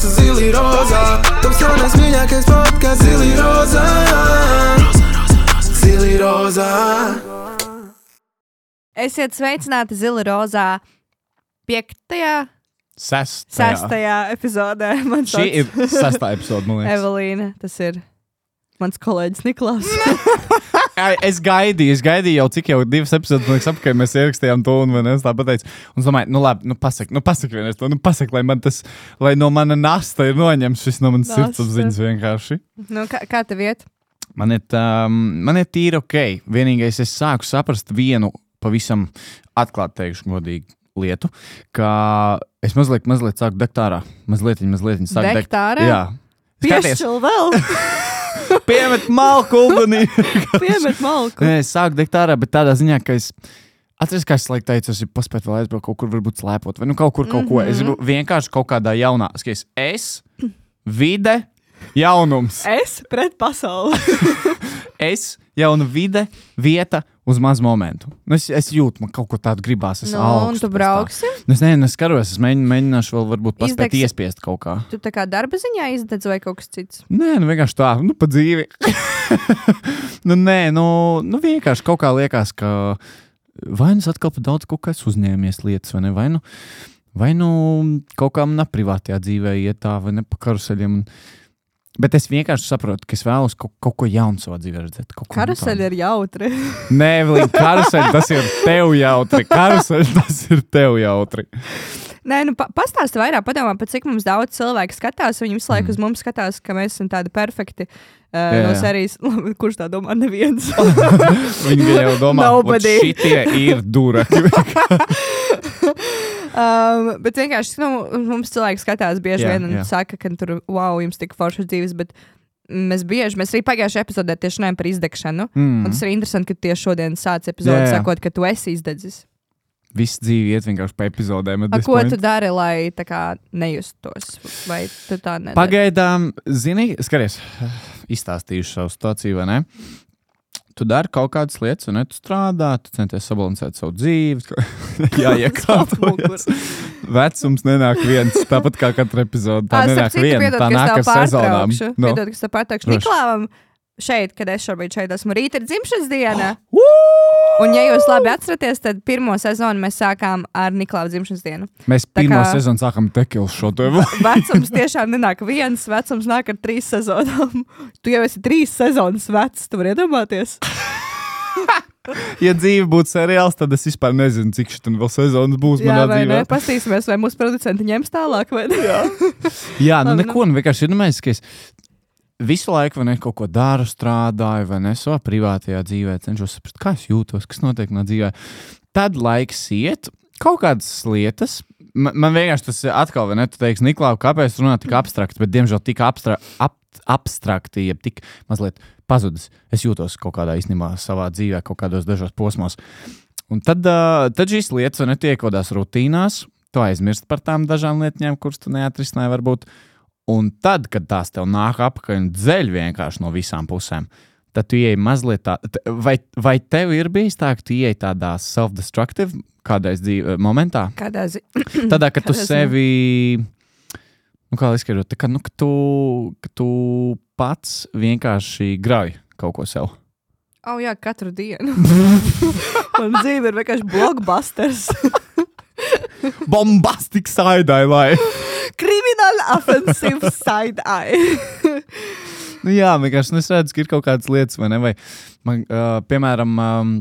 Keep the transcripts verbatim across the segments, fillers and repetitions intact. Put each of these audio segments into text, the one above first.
mūsu zili rozā. Taps jaunais mīļākais podcasts Zili rozā. Zili rozā. Esiet sveicināti Zili rozā piektajā, sestajā, sestajā epizodē. Man Šī ir sestā epizode, man liekas. Evelīna, tas ir mans kolēģis Niklaus. Es gaidīju, es gaidīju jau cik jau divas epizodes, man liekas, apkārt mēs ierakstījām to, un man es tā pateicu. Un es domāju, nu labi, nu pasaki, nu pasaki vienreiz to, nu pasaki, lai man tas, lai no mana nasta ir noņems šis no manas sirdsapziņas vienkārši. Nu, kā, kā tev iet? Man ir, um, man ir tīri ok. Vienīgais es sāku saprast vienu pavisam atklāt teikšu godīgi lietu, ka es mazliet, mazliet sāku degt ārā. Mazliet, mazliet sāku degt. Degt ārā? Jā. Piešķil vēl. Piemet malku ugunī. Piemet malku. Nē, es sāku degt ārā, bet tādā ziņā, ka es atceries, kā es laik teicu, es gribu paspēt vēl aizbraukt kaut kur, varbūt slēpot, vai nu kaut kur, kaut ko. Es gribu vienkārši kaut kādā jaunā, skaties, es, vide, jaunums. Es pret pasauli. Es, jauna vide, vieta uz mazu momentu. Nu, es, es jūtu, man kaut ko tādu gribās, es Nu, augstu. un tu brauksi? Nu, es nezinu, es skaros, es mēģinu, mēģināšu vēl varbūt paspēt Izdegs- iespiest kaut kā. Tu tā kā darba ziņā izdedz vai kaut kas cits? Nē, nu vienkārši tā, nu pa dzīvi. nu nē, nu, nu vienkārši kaut kā liekas, ka vai nu es atkal pa daudz kaut kas uzņēmies lietas, vai ne, vai nu, vai nu kaut kā manā privātajā dzīvē iet tā, vai ne pa karuseļiem. Un, bet es vienkārši saprotu, ka es vēlos kaut, kaut ko jaunu savā dzīvē redzēt. Karuseļi ir jautri. Nē, Evelīna, karuseļi, tas ir tev jautri. Karuseļi, tas ir tev jautri. Nē, nu pa, pastāsti vairāk, padomā, pat cik mums daudz cilvēku skatās, viņi visu laiku uz mums skatās, ka mēs esam tādi perfekti uh, Jā, no jā. serijas, kurš tā domā, neviens. Viņi jau domā, Nobody. ka šitie ir duraki. um, bet vienkārši, nu, mums cilvēki skatās bieži Jā, vien un jā. saka, ka tur, wow, jums tik foršas dzīves, bet mēs bieži, mēs arī pagājušajā epizodē tieši runājam par izdegšanu. Mm. Un tas ir interesanti, ka tieši šodien sāc epizodi Jā, jā. sakot, ka tu esi izdedzis. Viss dzīve iet vienkārši pa epizodēm. A, ko tu dari, lai tā kā nejustos? Vai tu tā nedari? Pagaidām, zini, skaties, izstāstīšu savu situāciju, vai ne? Tu dari kaut kādas lietas, un ne, tu strādā, tu centies sabalansēt savu dzīvi. Jā, iekārtojas. Vecums nenāk viens, tāpat kā katra epizode. Tā Ā, starp nenāk citu, viena, piedod, tā ka es nāk tev ar sezonām. pārtraukšu. No. Piedod, ka es tev pārtraukšu. Droši. Niklāvam šeit, kad es šobrīd šeit esmu, rīt ir dzimšanas diena. Un, ja jūs labi atceraties, tad pirmo sezonu mēs sākām ar Niklāvu dzimšanas dienu. Mēs Tā pirmo kā- sezonu sākam tekilu šo tev. Vecums tiešām nenāk viens, vecums nāk ar trīs sezonām. Tu jau esi trīs sezonas vecs, tu vari iedomāties. Ja dzīve būtu seriāls, tad es vispār nezinu, cik šitam vēl sezonas būs Jā, manā vai dzīvē. ne? Pastīsimies, vai mūsu producenti ņems tālāk, vai ne? Jā. Jā, nu Labi, neko, nu vienkārši ir, nu mēs, ka es visu laiku, vai ne, kaut ko daru, strādāju, vai ne, savā privātajā dzīvē, cenšos saprast, kā es jūtos, kas notiek manā dzīvē. Tad laiks iet, kaut kādas lietas, man, man vienkārši tas atkal, vai ne, tu teiksi, Niklāv, kāpēc runā tik abstrakti, bet diemžēl tik abstra, ab, abstrakti, jeb tik mazliet pazudis. Es jūtos kaut kādā īstenībā savā dzīvē, kaut kādos dažos posmos. Un tad, uh, tad šīs lietas, vai ne, tiek kodās rutīnās, tu aizmirst par tām dažām lietņām, kuras tu neatrisināji varbūt. Un tad, kad tās tev nāk apakaļ un dzeļ vienkārši no visām pusēm, tad tu ieej mazliet tā, t- vai, vai tev ir bijis tā, ka tu ieej tādā self-destructive kādreiz dzīve momentā? Kādā zi... Tādā, ka tu Kādā ziņā? sevi, nu kā lai izskaidrot, tā kā, nu, ka tu, ka tu pats vienkārši grauj kaut ko sev. Oh, jā, katru dienu. Man dzīve ir vienkārši blockbusters. Bombastic side-eye life! Criminal offensive side-eye. Nu jā, vienkārši nu, es redzu, ka ir kaut kādas lietas, vai ne? Vai, man, uh, piemēram, um,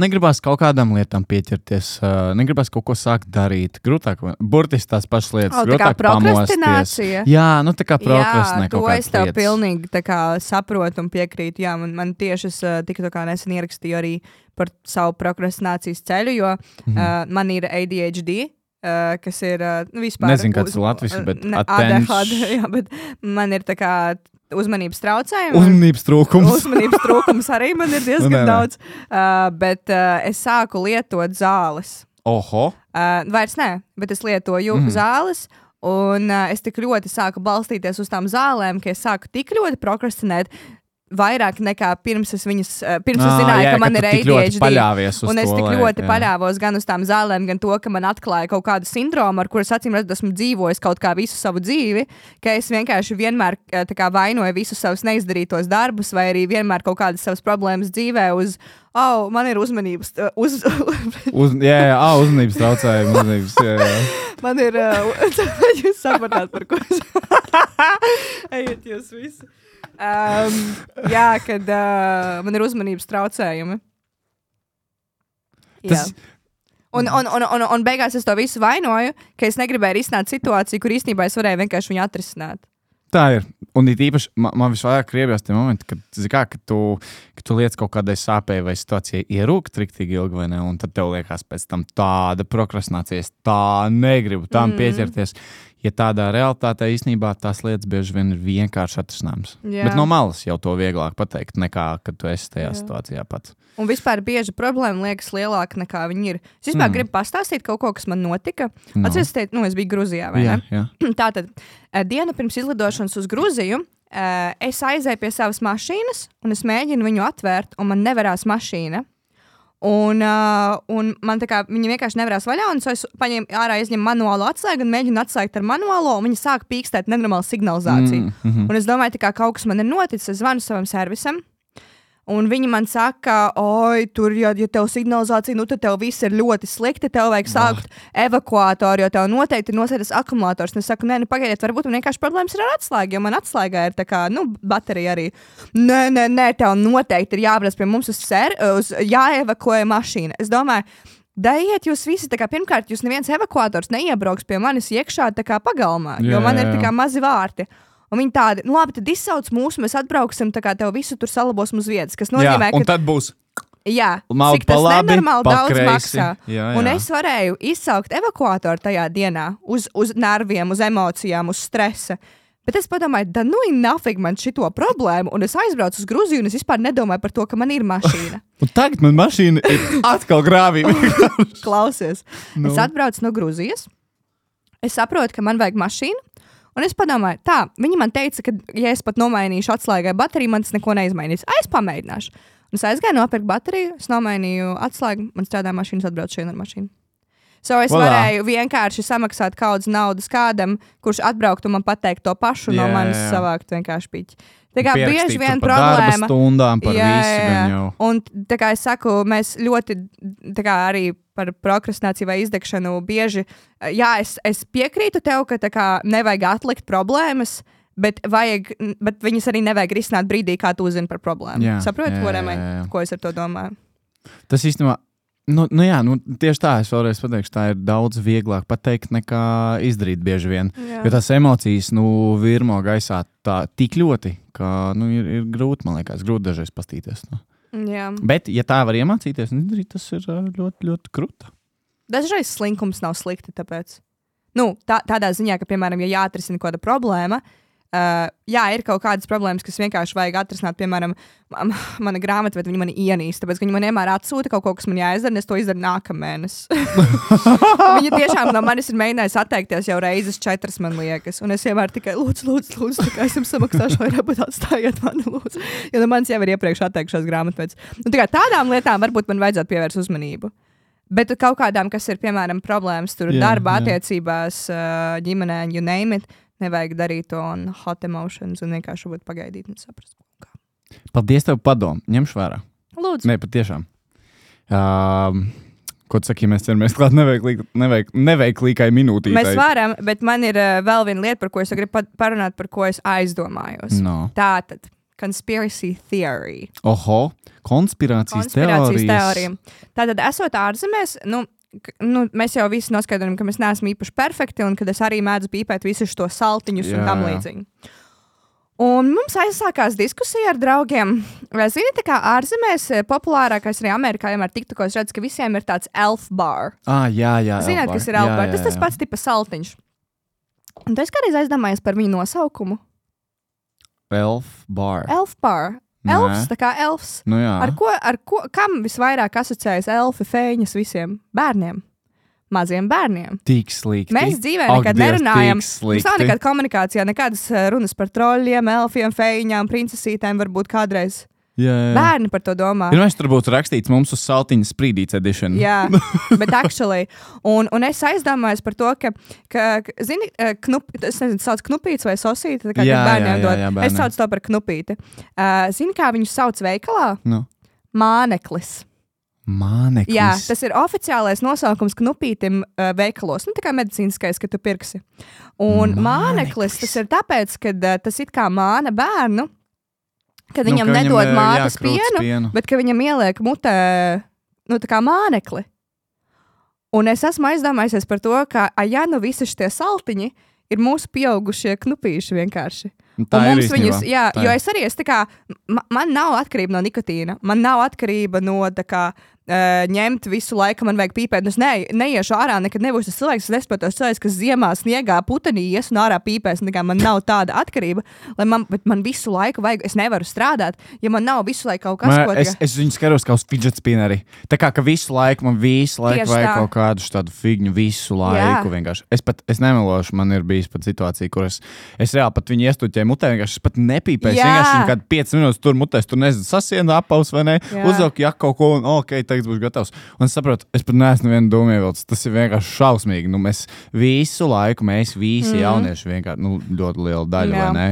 negribās kaut kādām lietām pieķerties, uh, negribās kaut ko sākt darīt. Grūtāk, vai- burtiski tās pašas lietas, O, tā kā grūtāk pamosties. prokrastinācija? Jā, nu tā kā prokrastinē Jā, to kaut kādas es tev lietas. pilnīgi tā kā saprotu un piekrītu. Jā, man, man tieši es uh, tikko tā kā nesen ierakstīju arī par savu prokrastinācijas ceļu, jo Mhm. uh, man ir A D H D. Uh, kas ir uh, nu, vispār Nezinu, kāds ir latviski, bet ne, A D H D, attention- jā, bet man ir tā kā uzmanības traucējumi. Uzmanības trūkums. Uzmanības trūkums arī man ir diezgan Nu, nē, nē. daudz. Uh, bet uh, es sāku lietot zāles. Oho! Uh, vairs nē, bet es lietoju Mhm. mm. zāles. Un uh, es tik ļoti sāku balstīties uz tām zālēm, ka es sāku tik ļoti prokrastinēt. vairāk nekā pirms es viņas, pirms es Ā, zināju, jā, ka man ka ir tu tik ļoti A D H D. paļāvies uz Un es to, tik lai- ļoti jā. paļāvos gan uz tām zālēm, gan to, ka man atklāja kaut kādu sindromu, ar kuras acīm redzot esmu dzīvojis kaut kā visu savu dzīvi, ka es vienkārši vienmēr tā kā vainoju visus savus neizdarītos darbus, vai arī vienmēr kaut kādas savas problēmas dzīvē uz, oh, man ir uzmanības, uz, Uz, jā, jā, ā, uzmanības traucējumi, uzmanības, jā, jā. man ir, uh, jūs sapratāt, par ko es. Ejiet jūs visi. Um, jā, kad uh, man ir uzmanības traucējumi. Tas, Jā. Un, un, un, un, un beigās es to visu vainoju, ka es negribēju risināt situāciju, kur īstenībā es varēju vienkārši viņu atrisināt. tā ir. Un it īpaši man, man visvairāk kriebjās tie momenti, kad, kā, kad, tu, kad tu liec kaut kādai sāpēji vai situācijai ierūkt riktīgi ilgi vai ne, un tad tev liekas pēc tam tāda prokrastinācijas, tā negribu tam mm. pieķerties. Ja tādā realitātē īstenībā tās lietas bieži vien ir vienkārši atrisināmas. Jā. Bet no malas jau to vieglāk pateikt, nekā kad tu esi tajā Jā. situācijā pats. Un vispār bieži problēma liekas lielāka nekā viņi ir. Es vispār mm. gribu pastāstīt kaut ko, kas man notika. No. Atceries, teikt, nu, es biju Gruzijā, vai jā, ne? Jā. Tātad, dienu pirms izlidošanas uz Gruziju, es aizēju pie savas mašīnas, un es mēģinu viņu atvērt, un man nevarās mašīna. Un, uh, un man tā kā viņa vienkārši nevarās vaļā, un so es paņēmu ārā, izņemu manuālo atslēgu un mēģinu atslēgt ar manuālo, un viņa sāk pīkstēt nenormālu signalizāciju. Mm, mm-hmm. Un es domāju, tā kā kaut kas man ir noticis, es zvanu savam servisam, un viņi man saka, oi, tur, ja, ja tev signalizācija, nu tad tev viss ir ļoti slikti, tev vajag sākt oh. evakuātoru, jo tev noteikti ir nosēdas akumulators. Un es saku, nē, nu pagaidiet, varbūt man vienkārši problēmas ir ar atslēgu, jo man atslēgā ir tā kā, nu, baterija arī. Nē, nē, nē, tev noteikti ir jābrauc pie mums uz ser, uz jāevakuē mašīna. Es domāju, daiet jūs visi, tā kā pirmkārt, jūs neviens evakuators neiebrauks pie manis iekšā tā kā pagalmā, jā, jo man ir jā, jā. tā kā mazi vārti. Un viņi tādi, nu labi, tad izsauc mūsu, mēs atbrauksim, tā kā tev visu tur salabosim uz vietas, kas nozīmē, jā, un ka... tad būs... Jā, Maldi cik tas pa labi, nenormāli pa daudz kreisi. maksā. Jā, un jā. es varēju izsaukt evakuātoru tajā dienā uz, uz nerviem, uz emocijām, uz stresa. Bet es padomāju, da nu ir nafig man šito problēmu, un es aizbraucu uz Gruziju, un es vispār nedomāju par to, ka man ir mašīna. Un tagad man mašīna ir atkal grāvī. Klausies, Nu. es atbraucu no Gruzijas, es saprotu, ka man vajag mašīnu, un es padomāju, tā, viņi man teica, ka, ja es pat nomainīšu atslēgai bateriju, man tas neko neizmainīs. Es pamēģināšu. Un es aizgāju nopirkt bateriju, es nomainīju atslēgu, man strādā mašīnas, atbraucu šeit ar mašīnu. So es Voilà. varēju vienkārši samaksāt kaudzes naudas kādam, kurš atbrauktu un man pateikt to pašu, no Jā, manis jā, jā. savākt vienkārši piķi. Tā kā Pierakstīt bieži tur vien par darba problēma. stundām, par Jā, visu jā, gan jā. jau. Un tā kā es saku, mēs ļoti tā kā arī par prokrastināciju vai izdegšanu bieži, jā, es, es piekrītu tev, ka tā kā nevajag atlikt problēmas, bet, vajag, bet viņas arī nevajag risināt brīdī, kā tu uzzini par problēmu. Jā, Saproti, jā, ko, jā, jā. ko es ar to domāju? Tas īstenībā, nu, nu jā, nu, tieši tā, es vēlreiz pateikšu, tā ir daudz vieglāk pateikt nekā izdarīt bieži vien. Jā. Jo tās emocijas, nu, virmo gaisā tā tik ļoti, ka, nu, ir, ir grūti, man liekas, grūti dažreiz pastīties. Nu. Jā. Bet, ja tā var iemācīties, un izdarīt, tas ir ā, ļoti, ļoti krūta. Dažreiz slinkums nav slikti, tāpēc. Nu, tā, tādā ziņā, ka, piemēram, ja jāatrisina kāda problēma, uh, jā, ir kaut kādas problēmas, kas vienkārši vajag atrisināt, piemēram, m- mana grāmata, bet viņi mani ienīst, tāpēc, ka viņi man vienmēr atsūta kaut ko, kas man jāizdara, un es to izdaru nākamēnes. Viņa tiešām no manis ir mēģinājusi atteikties jau reizes četras, man liekas, un es vienmēr tikai lūdzu, lūdzu, lūdzu, tā kā es jums samaksāšu vairāk, bet atstājiet mani, lūdzu. Jo no manis jau ir iepriekš atteikšās grāmatvedes. Nu, tā kā tādām lietām varbūt man vajadzētu pievērst uzmanību. Bet kaut kādām, kas ir, piemēram, problēmas tur Jā, darba, jā. attiecībās, ā, ģimenē, you name it, nevajag darīt to un hot emotions un vienkārši varbūt pagaidīt un saprast. Kā. Paldies tev padomu, ņemšu vērā. Lūdzu. Nē, patiešām. Um, ko tu saki, ja mēs ķeramies klāt neveiklī- neveik- neveiklīgai minūtītei? Mēs varam, bet man ir uh, vēl viena lieta, par ko es gribu pa- parunāt, par ko es aizdomājos. No. Tātad, conspiracy theory. Oho, konspirācijas, Konspirācijas teorijas. teorija. Tātad, esot ārzemēs, nu, k- nu, mēs jau visi noskaidrojam, ka mēs neesam īpaši perfekti un ka es arī mēdzu pīpēt visus to saltiņus Jā, un tam jā. līdzīgi. Un mums aizsākās diskusija ar draugiem. Vai zini, tā kā ārzemēs eh, populārākais arī Amerikā, vienmēr TikTokos redz, ka visiem ir tāds elf bar. Ah, jā, jā. Zināt, elfbar. kas ir elf Jā, bar? jā, Tas tas jā. pats tipa saltiņš. Un tu esi kādreiz aizdomājies par viņu nosaukumu? Elf bar. Elf bar. Nē. Elfs, tā kā elfs. Nu jā. Ar ko, ar ko, kam visvairāk asociējas elfi, fēņas visiem bērniem? maziem bērniem. Tik slikti. Mēs dzīvē Ak, nekad Dievs, nerunājam. tik Mums nav slikti. nekāda komunikācijā, nekādas uh, runas par troļļiem, elfiem, feiņām, princesītēm varbūt kādreiz. Jā, jā. Bērni par to domā. Ir mēs tur būtu rakstīts mums uz saltiņa sprīdīts edition. Jā, bet actually. Un, un es aizdomājos par to, ka, ka ka, zini, eh, knup, es nezinu, sauc knupīts vai sosīti, tā kā Jā, kad bērniem jā, jā, dod. jā, Es bērniem. saucu to par knupīti. Uh, zini, kā viņus sauc veikalā? Nu. Māneklis. Māneklis. Jā, tas ir oficiālais nosaukums knupītim uh, veikalos. Nu, tā kā medicīniskais, ka tu pirksi. Un māneklis, Māneklis. tas ir tāpēc, ka uh, tas it kā māna bērnu, kad viņam Nu, ka nedod viņam, mātes jā, krūts pienu, pienu. bet ka viņam ieliek mutē, nu, tā kā mānekli. Un es esmu aizdomājusies par to, ka, a, ja nu visi šie saltiņi ir mūsu pieaugušie knupīši vienkārši. Tā Un ir mums īstenībā. viņus, jā, Tā jo ir. es arī esmu tā kā, ma, man nav atkarība no nikotīna, man nav atkarība no tā kā, uh, ņemt visu laiku, man vajag pīpēt. Es ne, neiešu ārā, nekad nebūšu tas cilvēks, es nesaprotu tos cilvēks, kas ziemā sniegā putenī ies un ārā pīpēs. Tā kā man nav tāda atkarība, lai man, bet man visu laiku vajag, es nevaru strādāt, ja man nav visu laiku kaut kas, Man, ko es, es viņu skaros kā uz fidget spinneri. Tā kā ka visu laiku man visu laiku Tieši vajag tā. kaut kādu tādu figņu visu laiku. Vienkārši. Es pat es nemelošu, man ir bijis pat situācija, kur es, es reāli pat viņu iestuķēju mutē, vienkārši es pat nepīpēju. Jā. Vienkārši viņu kādu piecas minūtes tur mutēs, tur nezinu, sasienu apaus vai ne, Jā. uzvelku jak kaut ko un ok, tagad būs gatavs. Un es saprotu, es pat neesmu vienu domu ievilcis. Tas ir vienkārši šausmīgi. Nu, mēs visu laiku, mēs visi mm. jaunieši vienkārši, nu, ļoti liela daļa, Jā. vai ne?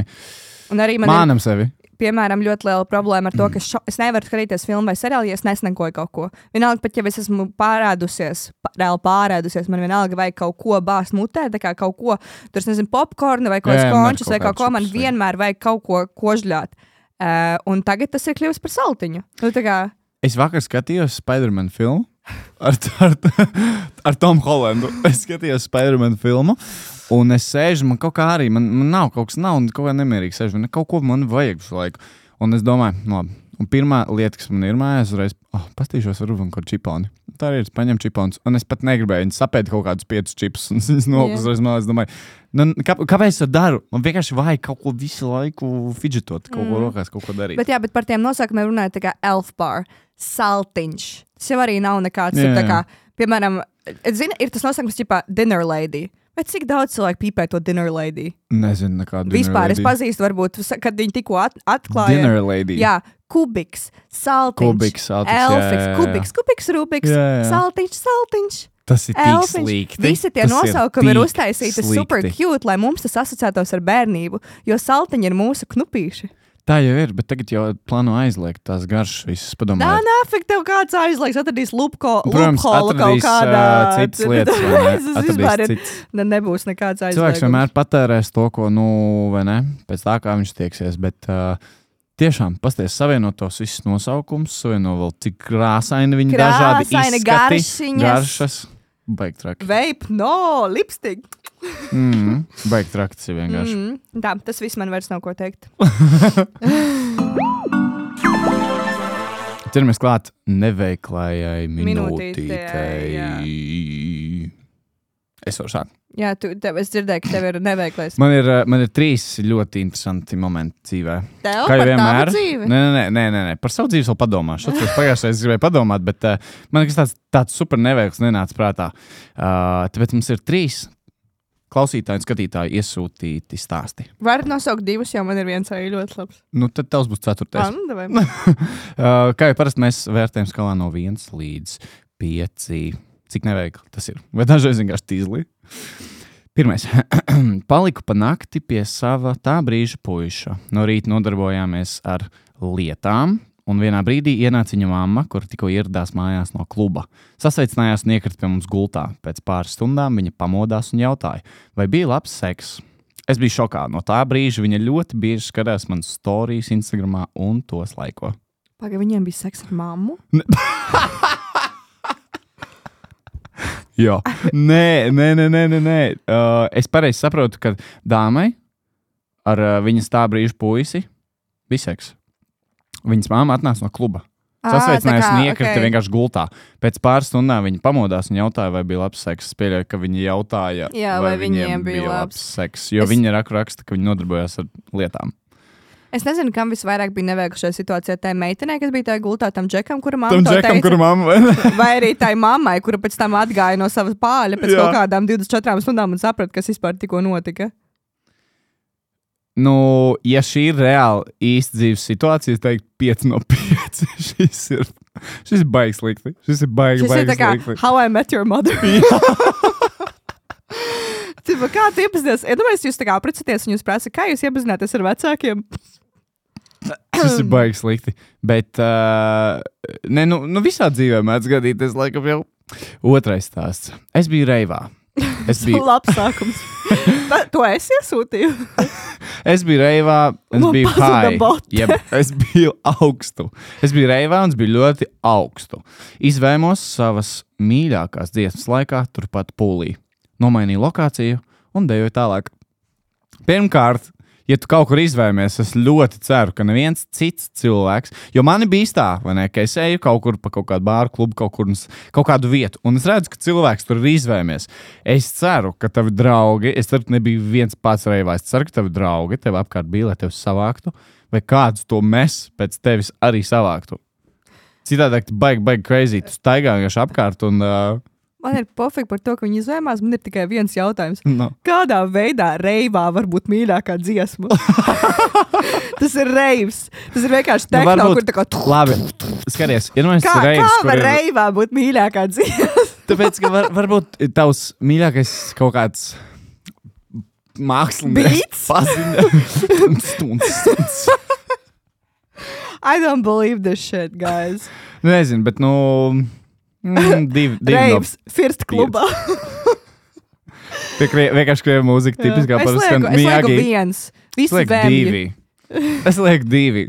Un arī man ir, Mānam sevi. piemēram, ļoti liela problēma ar to, ka šo, es nevaru skatīties filmu vai seriālu, ja es nesnakoju kaut ko. Vienalga, pat ja es esmu pārēdusies, pā- reāli pārēdusies, man vienalga vajag kaut ko bāzt mutē, tā kā kaut ko, tur, es nezinu, popkornu vai kaut Jā, jā, kāds man končus kaut vai kaut kāds ko, man čips vajag. vienmēr vajag kaut ko kožļāt. Uh, un tagad tas ir kļuvis par saltiņu. Nu, tā kā, Es vakar skatījos Spider-Man filmu ar, ar, ar Tomu Holandu. Es skatījos Spider-Man filmu, un es sēžu, man kaut kā arī, man, man nav kaut kas, nav kaut kā nemierīgi sēžu, man kaut ko man vajag visu laiku. Un es domāju, no, un pirmā lieta, kas man ir mājās, uzreiz, oh, pastīšos varbūt kaut kādu čiponi. Tā arī ir, es paņemu čiponus, un es pat negribēju, viņi sapēta kaut kādus piecus čipus, un es nokus uzreiz malā, es domāju, nu, kā, kāpēc es to daru? Man vienkārši vajag kaut ko visu laiku fidžetot, kaut ko rokās, kaut ko darīt. bet jā, bet par tiem nosaukumiem runājot, tā kā elf bar, saltiņš. Tas jau arī nav nekāds, Jā, tur tā jā. kā, piemēram, zini, ir tas nosaukums, ķipā, dinner lady. Bet cik daudz cilvēku pīpē to dinner lady? Nezinu, nekādu Vispār es pazīstu, varbūt, kad viņi tikko at atklāja. Dinner lady. Jā, kubiks, saltiņš, Kubiks, saltiņš, jā, elfiks, jā, jā. kubiks, kubiks, rubiks, Jā, jā. saltiņš, saltiņš. Tas ir tik Elfiņš. slikti. Visi tie Tas nosaukumi ir tik uztaisīti super slikti. cute, lai mums tas asociētos ar bērnību, jo saltiņi ir mūsu knupīši. Tā jau ir, bet tagad jau plāno aizliegt tās garšas visas Nā, padomāt. nāfik, tev kāds aizliegs, atradīs lupko, Protams, loophole kaut atradīs kādā. uh, citas lietas, vai ne? Tas Atradīs vispār ir, citas. ne, nebūs nekāds aizliegums. Cilvēks vienmēr patērēs to, ko, nu, vai ne, pēc tā, kā viņš tieksies, bet uh, tiešām, pasties, savienot tos visus nosaukumus, savienot vēl cik krāsaini viņi dažādi Krāsaini, izskati, garšiņas. garšas. Baigi traki. Vape, no, lipstick. Mm, baigi traki tas ir vienkārši. Mm, tā, tas viss man vairs nav ko teikt. Ķeramies klāt neveiklājai Minūtītei, jā. minūtītei. Es varu sākt. Jā, tu, tev, es dzirdēju, ka tev ir neveiklais. Man ir, uh, man ir trīs ļoti interesanti momenti dzīvē. Tev Kā jau par vienmēr. tavu dzīvi? Nē, nē, nē, nē, nē, par savu dzīvi vēl padomāšu. Es pagājušajā reizē gribēju padomāt, bet uh, man kas tāds, tāds super neveikls nenāca prātā. Uh, tāpēc mums ir trīs klausītāji un skatītāji iesūtīti stāsti. Varat nosaukt divus, jo man ir viens arī ļoti labs. Nu, tad tavs būs ceturtais. Ah, nu, davai. uh, kā jau parasti mēs vērtējam skalā no viens līdz pieci. Cik neveikli tas ir? Vai dažreiz vienkārši tīzli? Pirmais. Paliku pa nakti pie sava tā brīža puiša. No rīta nodarbojāmies ar lietām, un vienā brīdī ienāca viņa mamma, kur tikko ieradās mājās no kluba. Sasveicinājās un iekrita pie mums gultā. Pēc pāris stundām viņa pamodās un jautāja, vai bija labs seks. Es biju šokā. No tā brīža viņa ļoti bieži skatās manas storijas Instagramā un tos laiko. Paga, viņiem bija seks ar mammu? Jā, nē, nē, nē, nē, nē, nē. Uh, es pareizi saprotu, ka dāmai ar uh, viņas tā brīža puisi bija seks. Viņas māma atnāca no kluba. Sasveicinājās un iekrita okay. vienkārši gultā. Pēc pāris stundām viņa pamodās un jautāja, vai bija labs seks. Es pieļauju, ka viņa jautāja, Jā, vai, vai viņiem bija labs seks. Jo es... viņa raku raksta, ka viņi nodarbojās ar lietām. Es nezinu, kam visvairāk bija neveikli šajā situācijā. Tā meitenei, kas bija tajā gultā, tam džekam, kura mamma Tam to džekam, teica. kura mamma, vai ne? Vai arī tai mammai, kura pēc tam atgāja no savas pāļa pēc Jā. kaut kādām divdesmit četrām stundām un saprata, kas vispār tikko notika. Nu, ja šī ir reāli īsta dzīves situācija, es teiktu pieci no pieci. šis ir, šis ir baigs slikti. Šis ir baigi, Šis ir baigi tā kā slikti. How I Met Your Mother. Tipa, kā tu iepazinies? Iedomājieties, jūs tā kā aprecaties un jūs prasa, kā jūs iepazināties ar vecākiem? Šis ir baigi slikti. Bet, uh, ne, nu, nu visā dzīvē mēdz gadīties, laikam jau otrais stāsts. Es biju reivā. Es biju, Labs sākums. Ta, to es iesūtīju. es biju reivā, es Man biju pazuda high. bote. Jeb, es biju augstu. Es biju reivā un es biju ļoti augstu. Izvēmos savas mīļākās dziesmas laikā turpat pūlī. Nomainīju lokāciju un dejoju tālāk. Pirmkārt, ja tu kaut kur izvēmies, es ļoti ceru, ka neviens cits cilvēks, jo mani bija tā, vai ne, ka es eju kaut kur pa kaut kādu bāru klubu, kaut kur, kaut kādu vietu, un es redzu, ka cilvēks tur ir izvēmies. Es ceru, ka tavi draugi, es ceru, ka nebija viens pats reivā, es ceru, ka tavi draugi tev apkārt bija, lai tevi savāktu, vai kāds to mes pēc tevis arī savāktu. Citādāk, tu baigi, baigi crazy, tu staigā vienkārši apkārt un... Uh, Man ir pofīgi par to, ka viņi izvēmās. Man ir tikai viens jautājums. no. Kādā veidā reivā var būt mīļākā dziesma? Tas ir reivs. Tas ir vienkārši Nu, tehno, varbūt- kur tā kā... Labi, skaties, ir mēs Kā, reivs, kā kur var ir... reivā būt mīļākā dziesma? Tāpēc, ka var, varbūt tavs mīļākais kaut kāds mākslinieks Beats? paziņa. Stunds, stunds. I don't believe this shit, guys. Nu, nezinu, bet, nu, mm, divi, divi no Reivs, first klubā. tie krie, vienkārši krievu mūzika tipiskā Es parasti lieku, skan es lieku Miyagi. viens. Es Visi lieku vēmji. divi. Es lieku divi.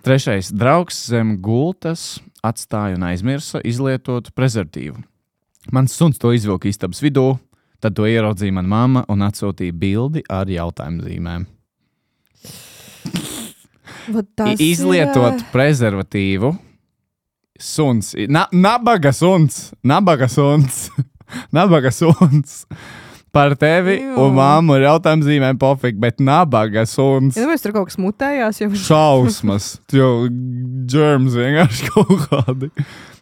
Trešais. Draugs zem gultas atstāja un aizmirsa izlietot prezervatīvu. Mans suns to izvilka istabas vidū, tad to ieraudzīja mana mamma un atsūtīja bildi ar jautājumu zīmēm. Vat tas I- Izlietot ir, prezervatīvu. Suns. Na, nabaga suns. Nabaga suns. Nabaga suns. Par tevi Jū. un māmu ir jautājums zīmēm pofīgi, bet nabaga suns. Ja domāju, tur kaut kas mutējās, jau Šausmas. Jo germs vienkārši kaut kādi.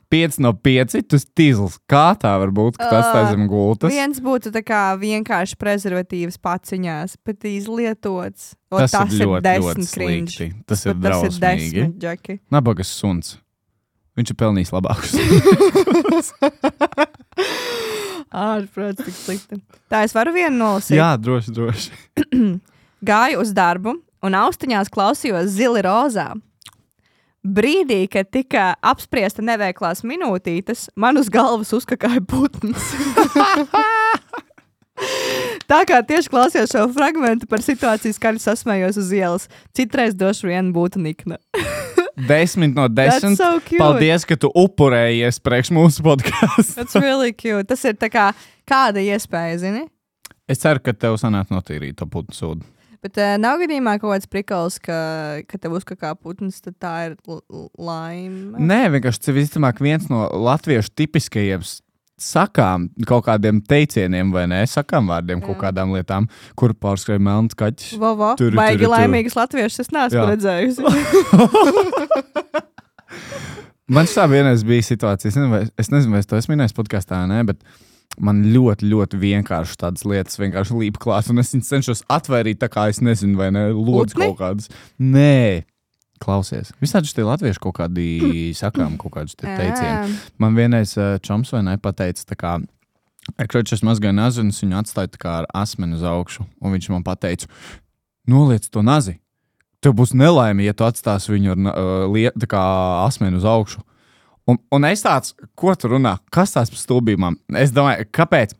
Pieci no pieci, tu stīzls. Kā tā var būt, ka tas tā zem gultas? viens būtu tā kā vienkārši prezervatīvs paciņās, bet izlietots. O, Tas ir ļoti, ļoti cringe. slikti. Tas ir Tas ir drausmīgi. desmit, Džeki. Nabagas suns. Viņš ir pelnījis labākus. Ārprāt, tik slikti. Tā es varu vienu nolasīt. Jā, droši, droši. Gāju uz darbu un austiņās klausījos Zili rozā. Brīdī, kad tika apspriesta neveiklās minūtītes, man uz galvas uzkakāja putns. Tā kā tieši klausījos šo fragmentu par situāciju, skaļi sasmējos uz ielas. Citreiz došu vienu būtu nikna. Desmit no That's desmit. so cute. Paldies, ka tu upurējies priekš mūsu podkāstu. That's really cute. Tas ir tā kā kāda iespēja, zini? Es ceru, ka tev sanāk notīrīt to putnu sūdu. Bet uh, nav gadījumā kaut kāds prikals, ka, ka tev uzkakā putns, tad tā ir l- l- laime. Nē, vienkārši tas ir visticamāk viens no latviešu tipiskajiem s- sakām, kaut kādiem teicieniem vai ne, sakām vārdiem, kaut kādām lietām, kur pārskrēja melns kaķis. Vo, vo. Tur, Baigi tur, tur. laimīgas latviešas es neesmu Jā. redzējusi. Man šā vienreiz bija situācija, es nezinu, vai, es nezinu, vai es to esmu minējis podkāstā, ne, bet man ļoti, ļoti vienkārši tādas lietas vienkārši līp klāt, un es viņas cenšos atvairīt tā kā es nezinu, vai ne, lūdzu Putni? kaut kādas. Nē, klausies. Visādi šitie latvieši kaut kādi sakām, kaut kādus te teicieni. Man vienreiz uh, čoms vai ne pateica, tā kā, kad es mazgāju nazi, un es viņu atstāju tā kā ar asmeni uz augšu, un viņš man pateica, noliec to nazi. Tev būs nelaime, ja tu atstāsi viņu ar uh, liet, tā kā asmeni uz augšu. Un, un es tāds, ko tu runā? Kas tās par stulbībām? Es domāju, kāpēc?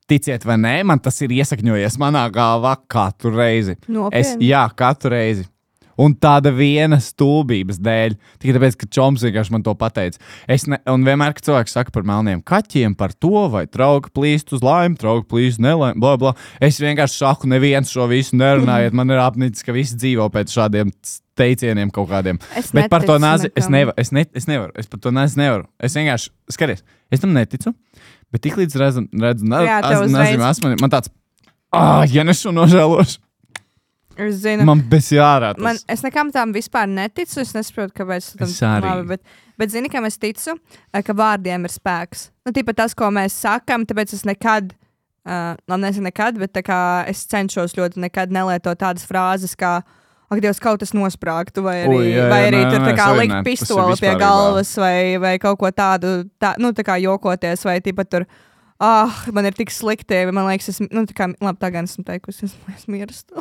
Ticiet vai nē, man tas ir iesakņojies manā galvā katru reizi. Es, Nopietni. jā, katru reizi. Un tāda viena stulbības dēļ. Tikai tāpēc, ka čoms vienkārši man to pateica. Es ne, un vienmēr, kad cilvēks saka par melniem kaķiem, par to, vai trauka plīst uz laimi, trauka plīst nelaimi, bla, bla. Es vienkārši saku, neviens šo visu nerunājiet. Man ir apnicis, ka visi dzīvo pēc šādiem teicieniem kaut kādiem. Es Bet par to neticu nazi es nekam. nevaru. Es, ne, es nevaru. Es par to nazi nevaru. Es vienkārši, skaties, es tam neticu. Bet tik līdz redzu, redzu na, Jā, tev az, uzreiz- nazi, asmeni, man tāds, ah, ja ne šo nožēlošu. Es zinu. Man bez jārā tas. Man, es nekam tām vispār neticu. Es nesaprotu, kāpēc tam Es arī. labi, bet, bet zini, kam es ticu, ka vārdiem ir spēks. Nu, tīpat tas, ko mēs sakam, tāpēc es nekad, uh, labi, nezinu nekad, bet tā kā es cenšos ļoti nekad nelietot tādas frāzes, kā ak, Dievs, kaut kas nosprāgtu, vai arī, Ui, jā, jā, vai arī nē, tur nē, tā kā es arī likt nē, tas ir pistoli pie vispārībā. galvas, vai, vai kaut ko tādu, tā, nu, tā kā jokoties, vai tīpat tur, ah, man ir tik slikti, man liekas, es, nu, tā kā, labi, tā gan esmu teikusi, es, es mirstu.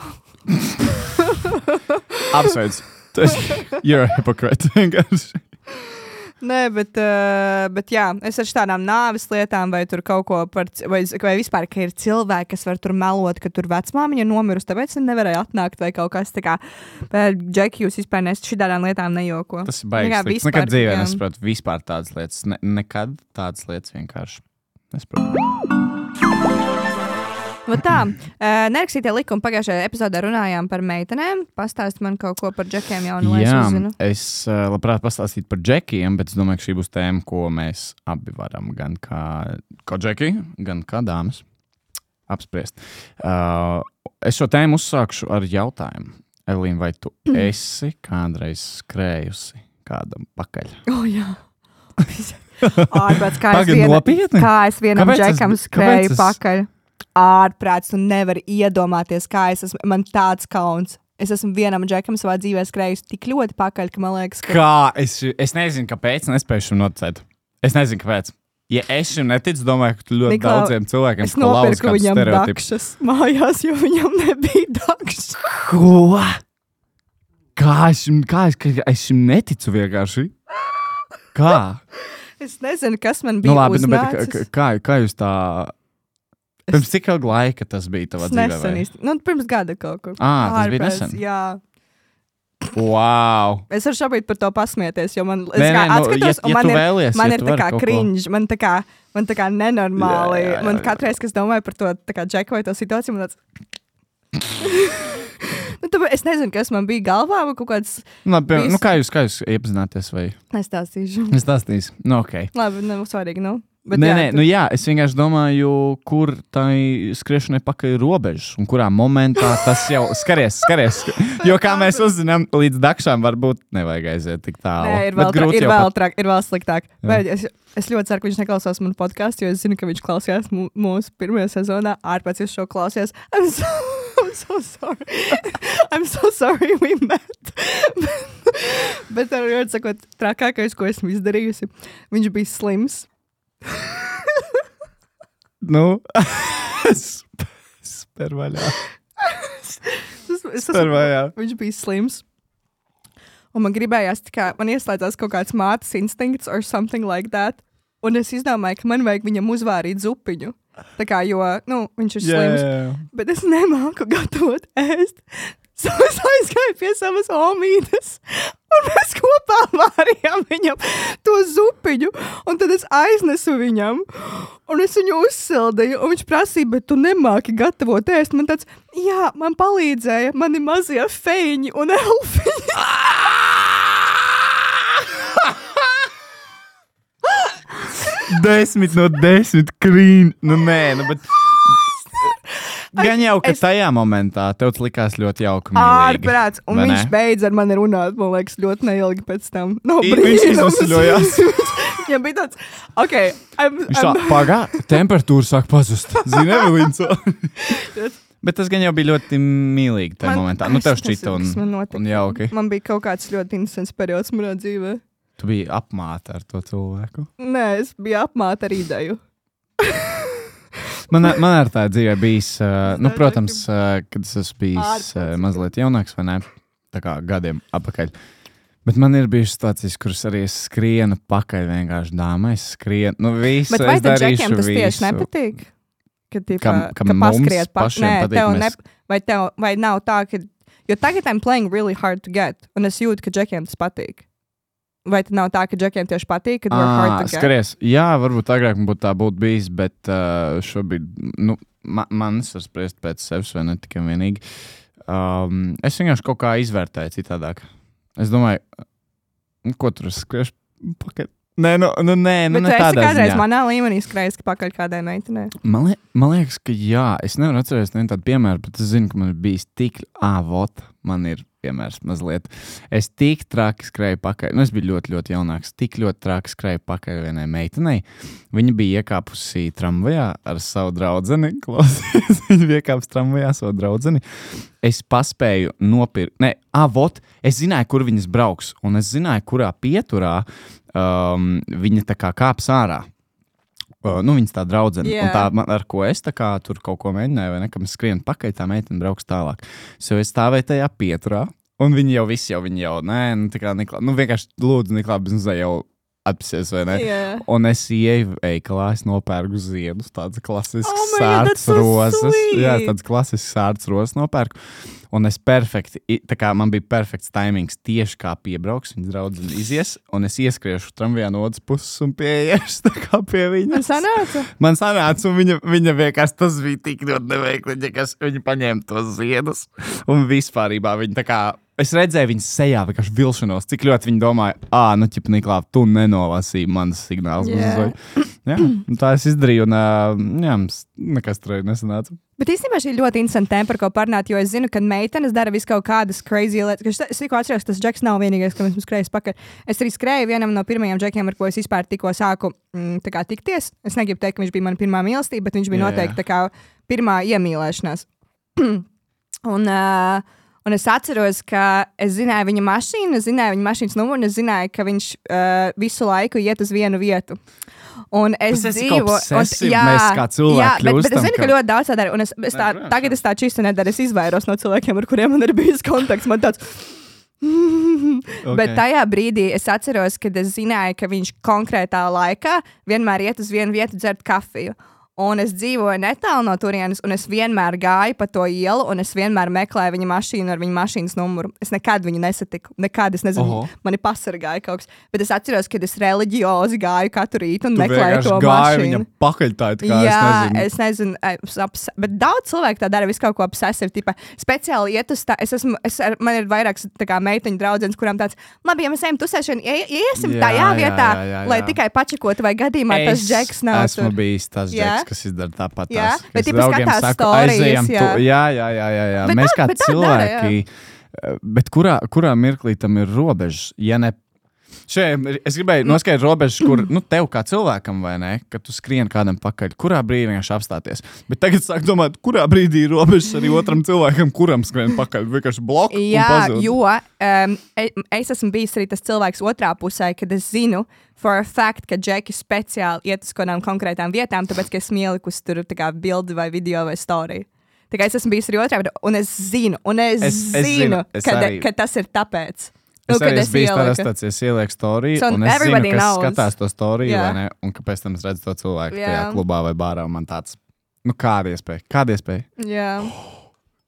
Apsveic. Tu esi, you're a hypocrite. Vienkārši. Nē, bet, uh, bet jā, es ar tādām nāves lietām, vai tur kaut ko par, c- vai, vai vispār, ka ir cilvēki, kas var tur melot, ka tur vecmāmiņa nomirusi, tāpēc viņi nevarēja atnākt, vai kaut kas tā kā, bet, Džeki, jūs vispār nes šitādām lietām nejoko. Tas ir baigs. Jā, slikts. vispār, Nekad dzīvē jā. nesaprotu vispār tādas lietas. Ne, nekad tādas lietas vienkārši nesaprotu. Nu tā, uh, nerakstītie likumi pagājušajā epizodē runājām par meitenēm. Pastāst man kaut ko par Džekiem jaunu, lai es Jā, uzzinu. es uh, labprāt pastāstītu par džekiem, bet es domāju, ka šī būs tēma, ko mēs abi varam gan kā, kā džeki, gan kā dāmas apspriest. Uh, es šo tēmu uzsākšu ar jautājumu. Elīna, vai tu esi kādreiz skrējusi kādam pakaļ? O, oh, jā. Ārprāts, kā, es Pagaid, viena, nopietni? kā es vienam Kāpēc es- Džekam kāpēc skrēju es- pakaļ. Ārprāts, tu nevari iedomāties, kā es esmu, man tāds kauns. Es esmu vienam Džekam savā dzīvē skrējusi tik ļoti pakaļ, ka man liekas, ka... Kā? Es, es nezinu, kāpēc nespēju šim noticēt. Es nezinu, kāpēc. Ja es šim neticu, domāju, ka tu ļoti Niklau, daudziem cilvēkiem Es nopirku viņam stereotipus. dakšas mājās, jo viņam nebija dakšas. Ko? Kā es šim, kā es, kā es šim neticu vienkārši? Kā? Es nezinu, kas man bija Nu labi, nu, bet uznācis. kā, kā, kā jūs tā... Pirms cik ilga laika tas bija tavā Es dzīvē? nesen vai? īsti. Nu, pirms gada kaut kur. Ā, tas bija Ārprāts, nesen? Jā. Wow! Es varu šobrīd par to pasmieties, jo man, es Nē, kā nē, nu, atskatos, ja- un ja man tu ir, vēlies, man ja ir tu tā vari kā kaut ko- cringe, man tā kā, man tā kā nenormāli, Jā, jā, jā, man jā. katreiz, kad es domāju par to, tā kā Džeku vai to situāciju, man tāds... nu, tāpēc es nezinu, kas man bija galvā, vai kaut kāds... Nu, labi, Viss. nu, kā jūs, kā jūs iepazināties vai? Nestāstīšu. Es stāstīšu. Nu, ok. Labi, nav svarīgi, nu. Bet Nē, jā, nē, tu- nu jā, es vienkārši domāju, kur tai skriešanai pakaļ ir robežas un kurā momentā tas jau skaries, skaries. Jo kā mēs uzzinām, līdz dakšām varbūt nevajag aiziet tik tālu. Nē, ir Bet vēl, tra, grūti ir jau vēl, pat- trak, ir vēl sliktāk. Jā. Vai, es, es ļoti ceru, ka viņš neklausās manu podkāstu, jo es zinu, ka viņš klausījās mū, mūsu pirmajā sezonā. Ārpēc jūs šo klausījās. I'm so, I'm so sorry. I'm so sorry we met. Bet ar ļoti sakot, trakākais, ko esmu izdarījusi, viņš bija slims. Nu, sp- spēr vaļā. Es, es Spēr vaļā. Viņš bija slims. Un man gribējās, tā kā man ieslēdzās kaut kāds mātes instinkts or something like that. Un es izdomāju, ka man vajag viņam uzvārīt zupiņu. Tā kā, jo, nu, viņš ir Jā, slims. jā, jā. Bet es nemāku gatavot ēst. So es aizgāju pie savas omītes, un mēs kopā vārījām viņam to zupiņu, un tad es aiznesu viņam, un es viņu uzsildīju, un viņš prasīja, bet tu nemāki gatavot ēst. Man tāds, jā, man palīdzēja mani mazie feņi un elfiņi. Desmit no desmit krīn. Nu, nē, nu, bet. Gan jau, ka es- tajā momentā tev tas likās ļoti jauki. mīlīgi, Ārprāts, un vai viņš ne? beidz ar mani runāt, man liekas, ļoti neilgi pēc tam. No I- viņš izveseļojās. Viņam bija tāds, ok, I'm, Viņš tā I'm, pagā, temperatūra sāk pazust. Zini, Evelīns. Bet tas gan jau bija ļoti mīlīgi tajā Man- momentā. Nu, tev es šķita nezinu, un, kas man notika. un jauki. Man bija kaut kāds ļoti interesants periods manā dzīvē. Tu biji apmāta ar to cilvēku. Nē, es biju apmāta ar ideju. Man, man ar tā dzīvē bijis, uh, nu, nezinu, protams, uh, kad es esmu bijis uh, Ārprāts. mazliet jaunāks, vai ne? Tā kā gadiem atpakaļ. Bet man ir bijušas situācijas, kuras arī es skrienu pakaļ vienkārši dāmai. Es skrienu, nu, visu. Bet vai es tad darīšu džekiem tas tieši visu. nepatīk? Ka, tīpā, Kam- kam ka mums paskriet pa- pašiem Nē, patīk, tev mēs- ne, vai, tev, vai nav tā, ka... Jo tagad I'm playing really hard to get, un es jūtu, ka džekiem tas patīk. Vai tad nav tā, ka džekiem tieši patīk, kad you're hard to get? Skaties, jā, varbūt agrāk man būtu tā būtu bijis, bet uh, šobrīd, nu, ma man es varu spriest pēc sevis, vai ne tikai vienīgi. Um, es vienkārši kaut kā izvērtēju citādāk. Es domāju, nu, ko tur es skriešu pakaļ. Nē, nu, nu, nē, nu, Bet ne tu esi tādā kādreiz ziņā. manā līmenī skrējis pakaļ kādai meitenei. Man, li man liekas, ka jā, es nevaru atcerēties nevienu tādu piemēru, bet es zinu, ka man ir bijis tik, ā, vot, man ir piemērs mazliet. Es tik traki skrēju pakaļ, nu es biju ļoti, ļoti jaunāks, tik ļoti traki skrēju pakaļ vienai meitenei. Viņa bija iekāpusi tramvajā ar savu draudzeni, klausies, viņa bija iekāpusi tramvajā savu draudzeni. Es paspēju nopirkt, ne, ā, vot, es zināju, kur viņas brauks, un es zināju, kurā pieturā um, viņa tā kā kāps ārā. Uh, nu, viņas tā draudzene, Jā. un tā, man, ar ko es tā kā tur kaut ko mēģināju, vai ne, kam es skrienu pakaļ, tā meitene brauks tālāk. So es stāvēju tajā pieturā, un viņi jau visi jau, viņi jau, nē, nu, tā kā Niklā, nu, vienkārši lūdzu Niklā biznesē jau atpasies, vai ne? Jā. Un es ieju veikalā, es nopērku ziedus, tāds klasisks Oh my God, that's sērts so rozes. sweet. Jā, tāds klasisks sērts rozes nopērku. Un es perfekti, i- tā kā man bija perfekts timings tieši kā piebrauks, viņas draudzene izies, un es ieskriešu tramvajā no otras puses un pieiešu tā kā pie Man viņas. sanāca? Man sanāca, un viņa, viņa vienkārši tas bija tik ļoti neveikli, viņa, kas, viņa paņēma tos ziedus, un vispārībā viņa tā kā, es redzēju viņas sejā vienkārši vilšanos, cik ļoti viņa domāja, ā, nu, ķip, Niklā, tu nenolasīji manas signālus. Jā. Jā, un tā es izdarīju, un ā, jā, mums nekas tur arī nesanāca. Bet īstenībā šī ir ļoti interesanta tēma, par ko parunāt, jo es zinu, ka meitenes dara visu kaut kādas crazy lietas. Es, es tikko atceros, tas džeks nav vienīgais, kam esmu skrējis pakaļ. Es arī skrēju vienam no pirmajiem džekiem, ar ko es vispār tikko sāku mm, tā kā tikties. Es negribu teikt, ka viņš bija mana pirmā mīlestība, bet viņš bija Jā, noteikti jā. tā kā pirmā iemīlēšanās. un, uh, un es atceros, ka es zināju viņa mašīnu, es zināju viņa mašīnas numuru, un es zināju, ka viņš uh, visu laiku iet uz vienu vietu. Un es Tas esi dzīvoju, obsessive, mēs kā cilvēki jā, bet, bet es kļūstam, zinu, ka ka- ļoti daudz tā dara. Un es, es tā, protams, tagad es tā čistu nedaru. Es izvairos no cilvēkiem, ar kuriem man ir bijis kontakts. Man tāds, Okay. Bet tajā brīdī es atceros, kad es zināju, ka viņš konkrētā laikā vienmēr iet uz vienu vietu dzert kafiju. Un es dzīvoju netālu no turienes, un es vienmēr gāju pa to ielu, un es vienmēr meklēju viņa mašīnu ar viņa mašīnas numuru. Es nekad viņu nesatiku. Nekad es nezinu, Oho. mani pasargāja kaut kas. Bet es atceros, kad es reliģiozi gāju katru rītu un Tu meklēju vienkārši to gāji mašīnu. viņa pakaļ tā, tā kā Jā, es nezinu. es nezinu, es obs- bet daudz cilvēku tā dara, visu kaut ko obsesīvu. Tipa, speciāli iet uz tā, es esmu, es ar, man ir vairākas tā kā meiteņu draudzenes, kurām tāds, labi, ja mēs ejam tusēšanu, ie- iesim Jā, tajā jā, vietā, jā, jā, lai jā. tikai pačakotu, vai gadījumā tas Es džeks nav esmu tur. bijis tas Jā? džeks, kas izdara tāpat. Jā? tās, ka Bet es tipa draugiem skatās saku, storijas, aizejam jā. tu- Jā, jā, jā, jā, jā. Bet Mēs tā- kā bet tā dara, cilvēki, bet kurā, kurā mirklī tam ir robežas, ja ne. Šeit es gribēju noskaidrot robežas, kur nu, tev kā cilvēkam, vai ne, kad tu skrien kādam pakaļ, kurā brīdī vienkārši apstāties. Bet tagad sāk domāt, kurā brīdī ir robežas arī otram cilvēkam, kuram skrien pakaļ. Vienkārši bloku. Jā, jo um, es esmu bijis arī tas cilvēks otrā pusē, kad es zinu, for a fact, ka džeki speciāli iet uz kādām konkrētām vietām, tāpēc, ka esmu ielikusi tur tā kā bildi vai video vai storiju. Tā kā es esmu bijis arī otrā, bet- un es zinu, un es, Es- es zinu, zinu, es ka, arī- ka tas ir tāpēc. Es Nu, kad arī esmu bijis ieliku. tādā stācijā, es ielieku storiju, So un es zinu, everybody kas knows. skatās to storiju, Jā. vai ne, un kāpēc tam es redzu to cilvēku Jā. tajā klubā vai bārā, un man tāds, nu kāda iespēja, kāda iespēja? Jā.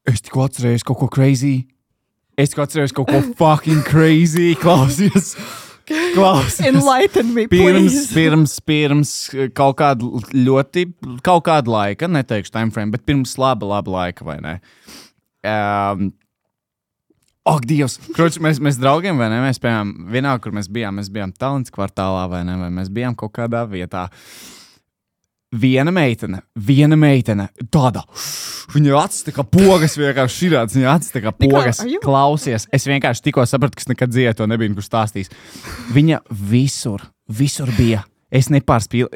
Es tikko atcerējos kaut ko crazy. Es tikko atcerējos kaut ko fucking crazy. Klausies. Klausies. Enlighten me, Pirms, please. pirms, pirms kaut kāda ļoti, kaut kāda laika, neteikšu timeframe, bet pirms laba, laba laika, vai ne? Um, Ak, Dievs! Kroč, mēs, mēs draugiem, vai ne? Mēs, piemēram, vienā, kur mēs bijām, mēs bijām Talents kvartālā, vai ne? Vai mēs bijām kaut kādā vietā. Viena meitene, viena meitene, tāda. Viņa acis tā kā pogas vienkārši širāts, viņa acis tā kā pogas. are you- Klausies, es vienkārši tikko sapratu, ka es nekad dzīvē to nebiju, kur stāstījis. Viņa visur, visur bija. Es nepārspīlu.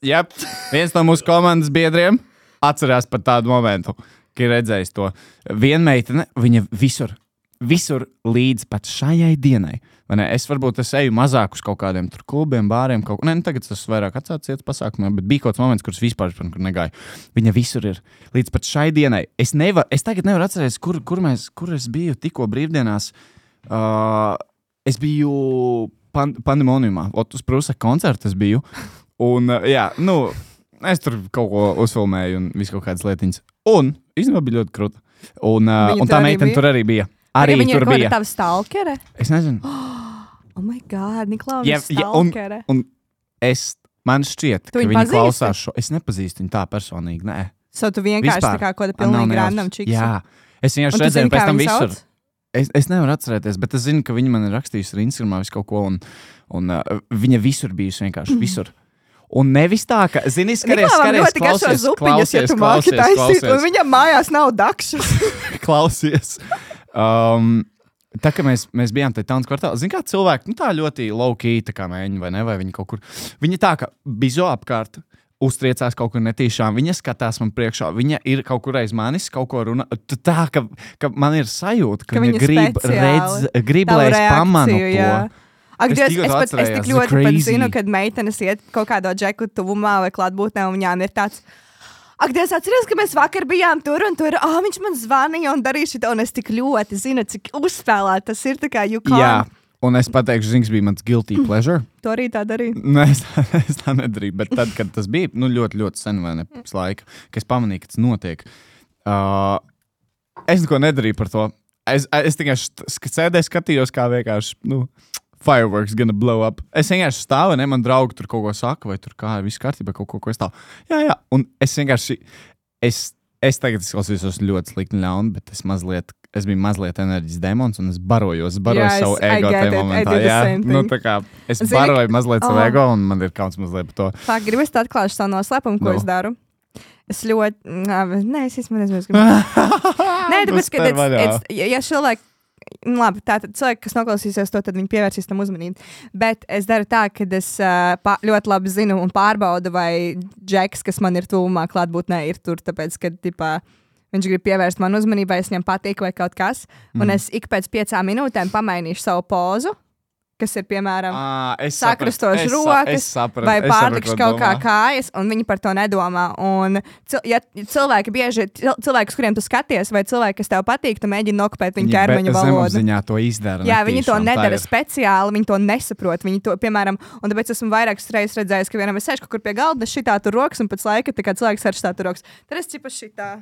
Jā, viens no mūsu komandas biedriem atcerās par tādu momentu, ka ir redzējis to. Viena meitene, viņa visur, visur līdz pat šajai dienai. Vai ne? Es varbūt es eju mazāk uz kaut kādiem tur klubiem, bāriem, kaut ko. Nē, nu, tagad tas vairāk atsācis cietas pasākumiem, bet bija kaut kāds moments, kurus vispār kur negāju. Viņa visur ir. Līdz pat šai dienai. Es, nevar, es tagad nevaru atcerēties, kur, kur, mēs, kur es biju tikko brīvdienās. Uh, es biju pan, pandemoniumā. Ot, uz Prūsa koncerta es biju. Un, uh, jā, nu, es tur kaut ko uzfilmēju un visu kaut kādas lietiņas. Un, īstenībā bija ļoti krūta. Un, uh, Viņa un tur tā arī meitene bija? tur arī bija. Arī viņa tur ir kaut bija. kāda tava stalkere? Es nezinu. Oh my god, Niklaus, Ja- ja, ja, un- stalkere. Un es, man šķiet, Tu ka viņu viņi pazīsti? klausās šo. Es nepazīstu viņu tā personīgi, nē. So tu vienkārši tā kā kaut kāda pilnīgi random čiks. Jā, es vienkārši Un tu redzēju, zini, pēc kā tam viņu visur. sauc? Es, es nevaru atcerēties, bet es zinu, ka viņa man ir rakstījusi ar Instagramā visu kaut ko, un, un uh, viņa visur bijusi vienkārši, visur. Un nevis tā, ka, zini, skaries, skaries, klausies, klausies, klausies, klausies. Un viņam mājās nav dakšas. Klausies. Um, tā, ka mēs, mēs bijām tajā taunas kvartālā, zini, kā cilvēki, nu tā ļoti low-key, tā kā mēģi, vai ne, vai viņi kaut kur, viņi tā, ka bizo apkārt, uztriecās kaut kur netīšām, viņa skatās man priekšā, viņa ir kaut kur aiz manis, kaut ko runā, tā, ka, ka man ir sajūta, ka, ka viņa grib redz, grib, lai es pamanu to. Ak, Dievs, es, pat, es tik ļoti pat zinu, kad meitenes iet kaut kādā džeku tuvumā vai klātbūtnē, un viņām ir tāds, ak, Dievs, atceries, ka mēs vakar bijām tur, un tur, ah, viņš man zvanīja un darīja šito, un es tik ļoti zinu, cik uzspēlēt tas ir, tā kā you can't. Jā. Un es pateikšu, zings bija mans guilty pleasure. To arī tā darīju. Nē, es tā, es tā nedarīju, bet tad, kad tas bija, nu, ļoti, ļoti sen vai ne pēc laika, ka es pamanīju, ka tas notiek. Uh, es neko nedarīju par to. Es, es tikai sēdēju, skatījos, kā vienkārši, nu, fireworks gonna blow up. Es vienkārši stāvu, ne, man draugi tur kaut ko saka, vai tur kā, viss kārtībā, kaut ko, ko es stāvu. Jā, jā, un es vienkārši, es, es tagad izklausīšos ļoti slikti ļauni, bet es mazliet, es biju mazliet enerģijas demons, un es barojos, es baroju yeah, savu ego tajā momentā. Jā, nu tā kā, es Zini, baroju mazliet savu oh. ego, un man ir kauns mazliet par to. Tā, gribu es atklāšu savu noslēpumu, ko no. es daru. Es ļoti, nē, es īstenībā nezinu, es gribu. Nē, tāpēc, ka, it's, it's, ja cilvēki, labi, tātad cilvēki, kas noklausīsies to, tad viņi pievērsīs tam uzmanību. Bet es daru tā, ka es uh, pā, ļoti labi zinu un pārbaudu, vai džeks, kas man ir tuvumā klātbūtnē, ir tur, tāpēc, ka, tipā, viņš grib pievērst man uzmanību, vai es viņam patīk vai kaut kas. Un mm. es ik pēc piecām minūtēm pamainīšu savu pozu, kas ir, piemēram, à, sakrustoši rokas, saprat, vai pārlikšu kaut kā kājas, un viņi par to nedomā. Un, ja cilvēki bieži, cilvēki, uz kuriem tu skaties, vai cilvēki, kas tev patīk, tu mēģini nokopēt viņu ķermeņa valodu. Zemapziņā to izdara. Jā, viņi to nedara speciāli, viņi to nesaprot. Viņi to, piemēram, un tāpēc esmu vairākas reizes redzējis, ka vienam es sēžu kaut kur pie galda, šitā tur rokas, un pēc laika, tā kā cilvēks ar šitā tur rokas. Tad es čipa šitā.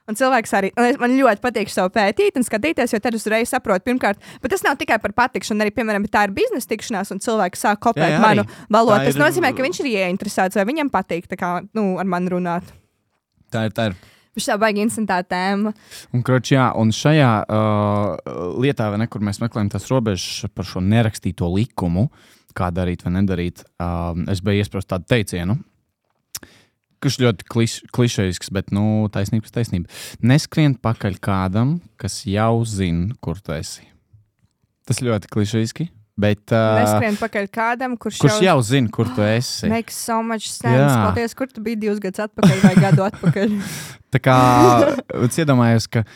Un cilvēks arī, un man ļoti patīk savu pētīt un skatīties, jo tad uzreiz saprotu, pirmkārt, bet tas nav tikai par patikšanu, arī, piemēram, tā ir biznesa tikšanās, un cilvēks sāk kopēt jā, jā, manu valodu. Tas ir... nozīmē, ka viņš ir ieinteresēts, vai viņam patīk, tā kā, nu, ar mani runāt. Tā ir, tā ir. Viņš tā baigi instantā tēma. Un, kroč, jā, un šajā uh, lietā, vai ne, kur mēs meklējam tās robežas par šo nerakstīto likumu, kā darīt vai nedarīt, uh, es biju iesprost tādu teicienu, kurš ļoti kliš, klišejisks, bet, nu, taisnības taisnība. Neskrien pakaļ kādam, kas jau zina, kur tu esi. Tas ļoti klišejiski, bet... Uh, Neskrien pakaļ kādam, kurš, kurš jau... jau zina, kur tu esi. Makes so much sense. Paldies, kur tu biji divus gadus atpakaļ vai gadu atpakaļ. Tā kā, es iedomājos, ka,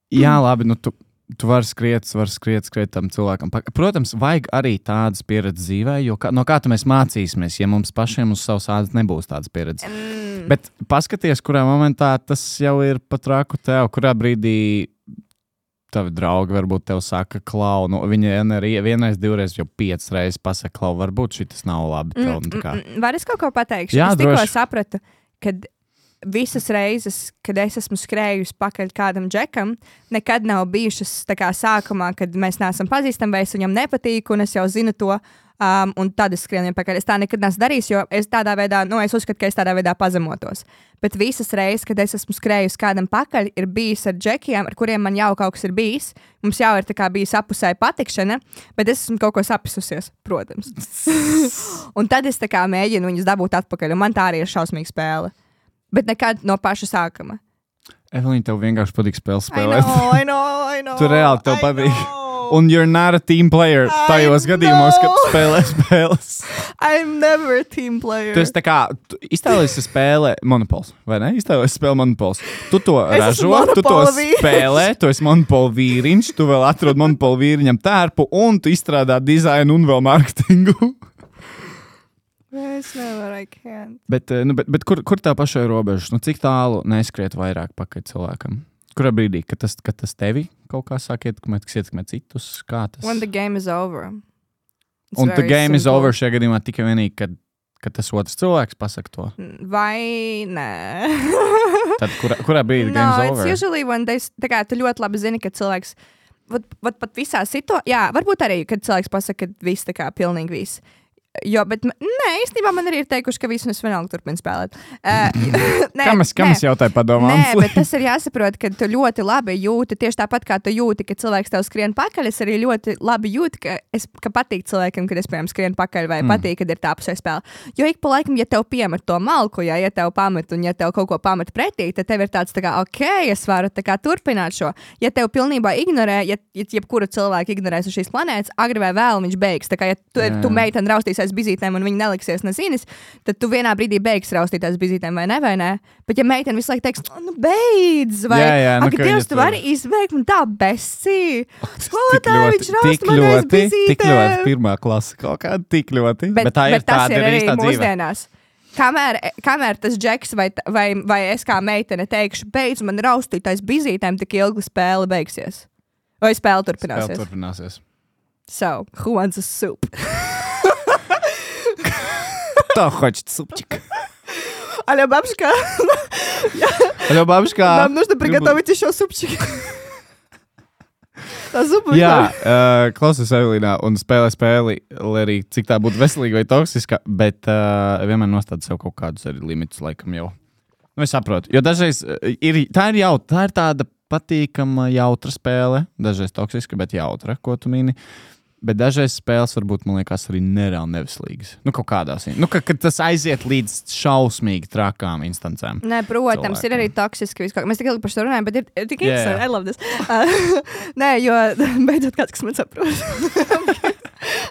jā, labi, nu, tu... Tu vari skriet, vari skriet, skriet tam cilvēkam. Protams, vajag arī tādas pieredzes dzīvē, jo kā, no kā tu mēs mācīsimies, ja mums pašiem uz savas ādas nebūs tādas pieredzes. Mm. Bet paskaties, kurā momentā tas jau ir pat raku tev, kurā brīdī tavi draugi varbūt tev saka, klau, nu, viņi arī vienreiz, divreiz, jau piecas reizes pasaka, klau, varbūt šitas nav labi tev. Mm, mm, var es kaut ko pateikšu? Jā, es tikko droši. sapratu, kad visas reizes, kad es esmu skrējusi pakaļ kādam džekam, nekad nav bijušas tā kā sākumā, kad mēs neesam pazīstami, vai es viņam nepatīku, un es jau zinu to, um, un tad es skrienu viņam pakaļ. Es tā nekad neesmu darījis, jo es tādā veidā, nu, es uzskatu, ka es tādā veidā pazemotos. Bet visas reizes, kad es esmu skrējusi kādam pakaļ, ir bijis ar džekiem, ar kuriem man jau kaut kas ir bijis. Mums jau ir tā kā bijis apusēja patikšana, bet es esmu kaut ko sapisusies, protams. Un tad es tā kā mēģinu viņus dabūt atpakaļ, un man tā arī ir šausmīga spēle. Bet nekad no paša sākuma. Evelīna, tev vienkārši patīk spēles spēlēt. I know, I know, I know. Tu reāli tev I patīk. Know. Un you're not a team player tajos gadījumos, kad spēlē spēles. I'm never a team player. Tu esi tā kā, tu iztēlies spēlē Monopols, vai ne? Iztēlies spēlē Monopols. Tu to es ražo, tu to spēlē, tu esi Monopol vīriņš, tu vēl atrod Monopol vīriņam tērpu, un tu izstrādā dizainu un vēl marketingu. Es nevaru, I can't. Bet, nu, bet, bet kur, kur tā pašai robežas? Nu, cik tālu neskriet vairāk pakaļ cilvēkam? Kurā brīdī, kad tas, kad tas tevi kaut kā sāk ietekmēt, kas ietekmē citus? Kā tas? When the game is over. It's un the game simple. is over šajā gadījumā tikai vienīgi, kad, kad tas otrs cilvēks pasaka to? Vai nē? Tad kurā, kurā brīdī no, game is over? No, it's usually when they, tā kā tu ļoti labi zini, ka cilvēks, vat, vat pat visā situācijā, jā, varbūt arī, kad cilvēks pasaka, ka viss tā kā pilnīgi viss. jo, bet, nē, īstenībā man arī ir teikuši, ka visu es vienalga turpinu spēlēt. Uh, nē, Kam es, kam es jautāju padomā? Nē, bet tas ir jāsaprot, ka tu ļoti labi jūti, tieši tāpat kā tu jūti, ka cilvēks tev skrien pakaļ, es arī ļoti labi jūtu, ka, es, ka patīk cilvēkam, kad es, piemēram, skrien pakaļ, vai mm. patīk, kad ir tā pusē spēle. Jo ik pa laikam, ja tev piemet to malku, ja, ja tev pamet un ja tev kaut ko pamet pretī, tad tev ir tāds tā kā, ok, es varu tā kā turpināt šo. Ja tev pilnībā ignorē, ja, ja jebkuru cilvēku ignorēs uz šīs planētas, agri vai vēl viņš beigs. Tā kā, ja tu, tu meiteni raustīsies bizītēm un viņi neliksies nezinis, tad tu vienā brīdī beigs raustītās bizītēm, vai ne, vai ne? Bet ja meiteni visu laiku teiks, nu beidz, vai, jā, jā, nu, ak, Dievs, tu vari izbeigt, man tā besī. Skolotāji, viņš tik rausta man aiz ļoti, tik ļoti bizītēm. pirmā klasa kaut kāda, tik ļoti. Bet, bet tā ir bet tas tāda ir arī tā dzīve. mūsdienās. Kamēr, kamēr tas džeks vai, vai, vai es kā meitene teikšu, beidz man raustīt aiz bizītēm, tik ilgi spēle beigsies. Vai spēle turpināsies. Spēle turpināsies. So, who wants a soup? Кто хочет супчик? Алло, бабушка. Алло, бабушка. Нам нужно приготовить еще супчик. Tā zupa Jā, uh, klausies Evelīnā un spēlē spēli, lai arī cik tā būtu veselīga vai toksiska, bet uh, vienmēr nostāda sev kaut kādus arī limitus laikam jau. Nu, es saprotu, jo dažreiz ir, tā ir jautra, tā ir tāda patīkama jautra spēle, dažreiz toksiska, bet jautra, ko tu mini. Bet dažreiz spēles varbūt, man liekas, arī nereāli neveselīgas. Nu, kaut kādās. Nu, ka, ka tas aiziet līdz šausmīgi trakām instancēm. Nē, protams, cilvēkiem. Ir arī toksiski viskaut. Mēs tik ilgi par šo runājam, bet ir, ir tik interesanti. Yeah. I love this. Uh, nē, jo beidzot kāds, kas man saprot.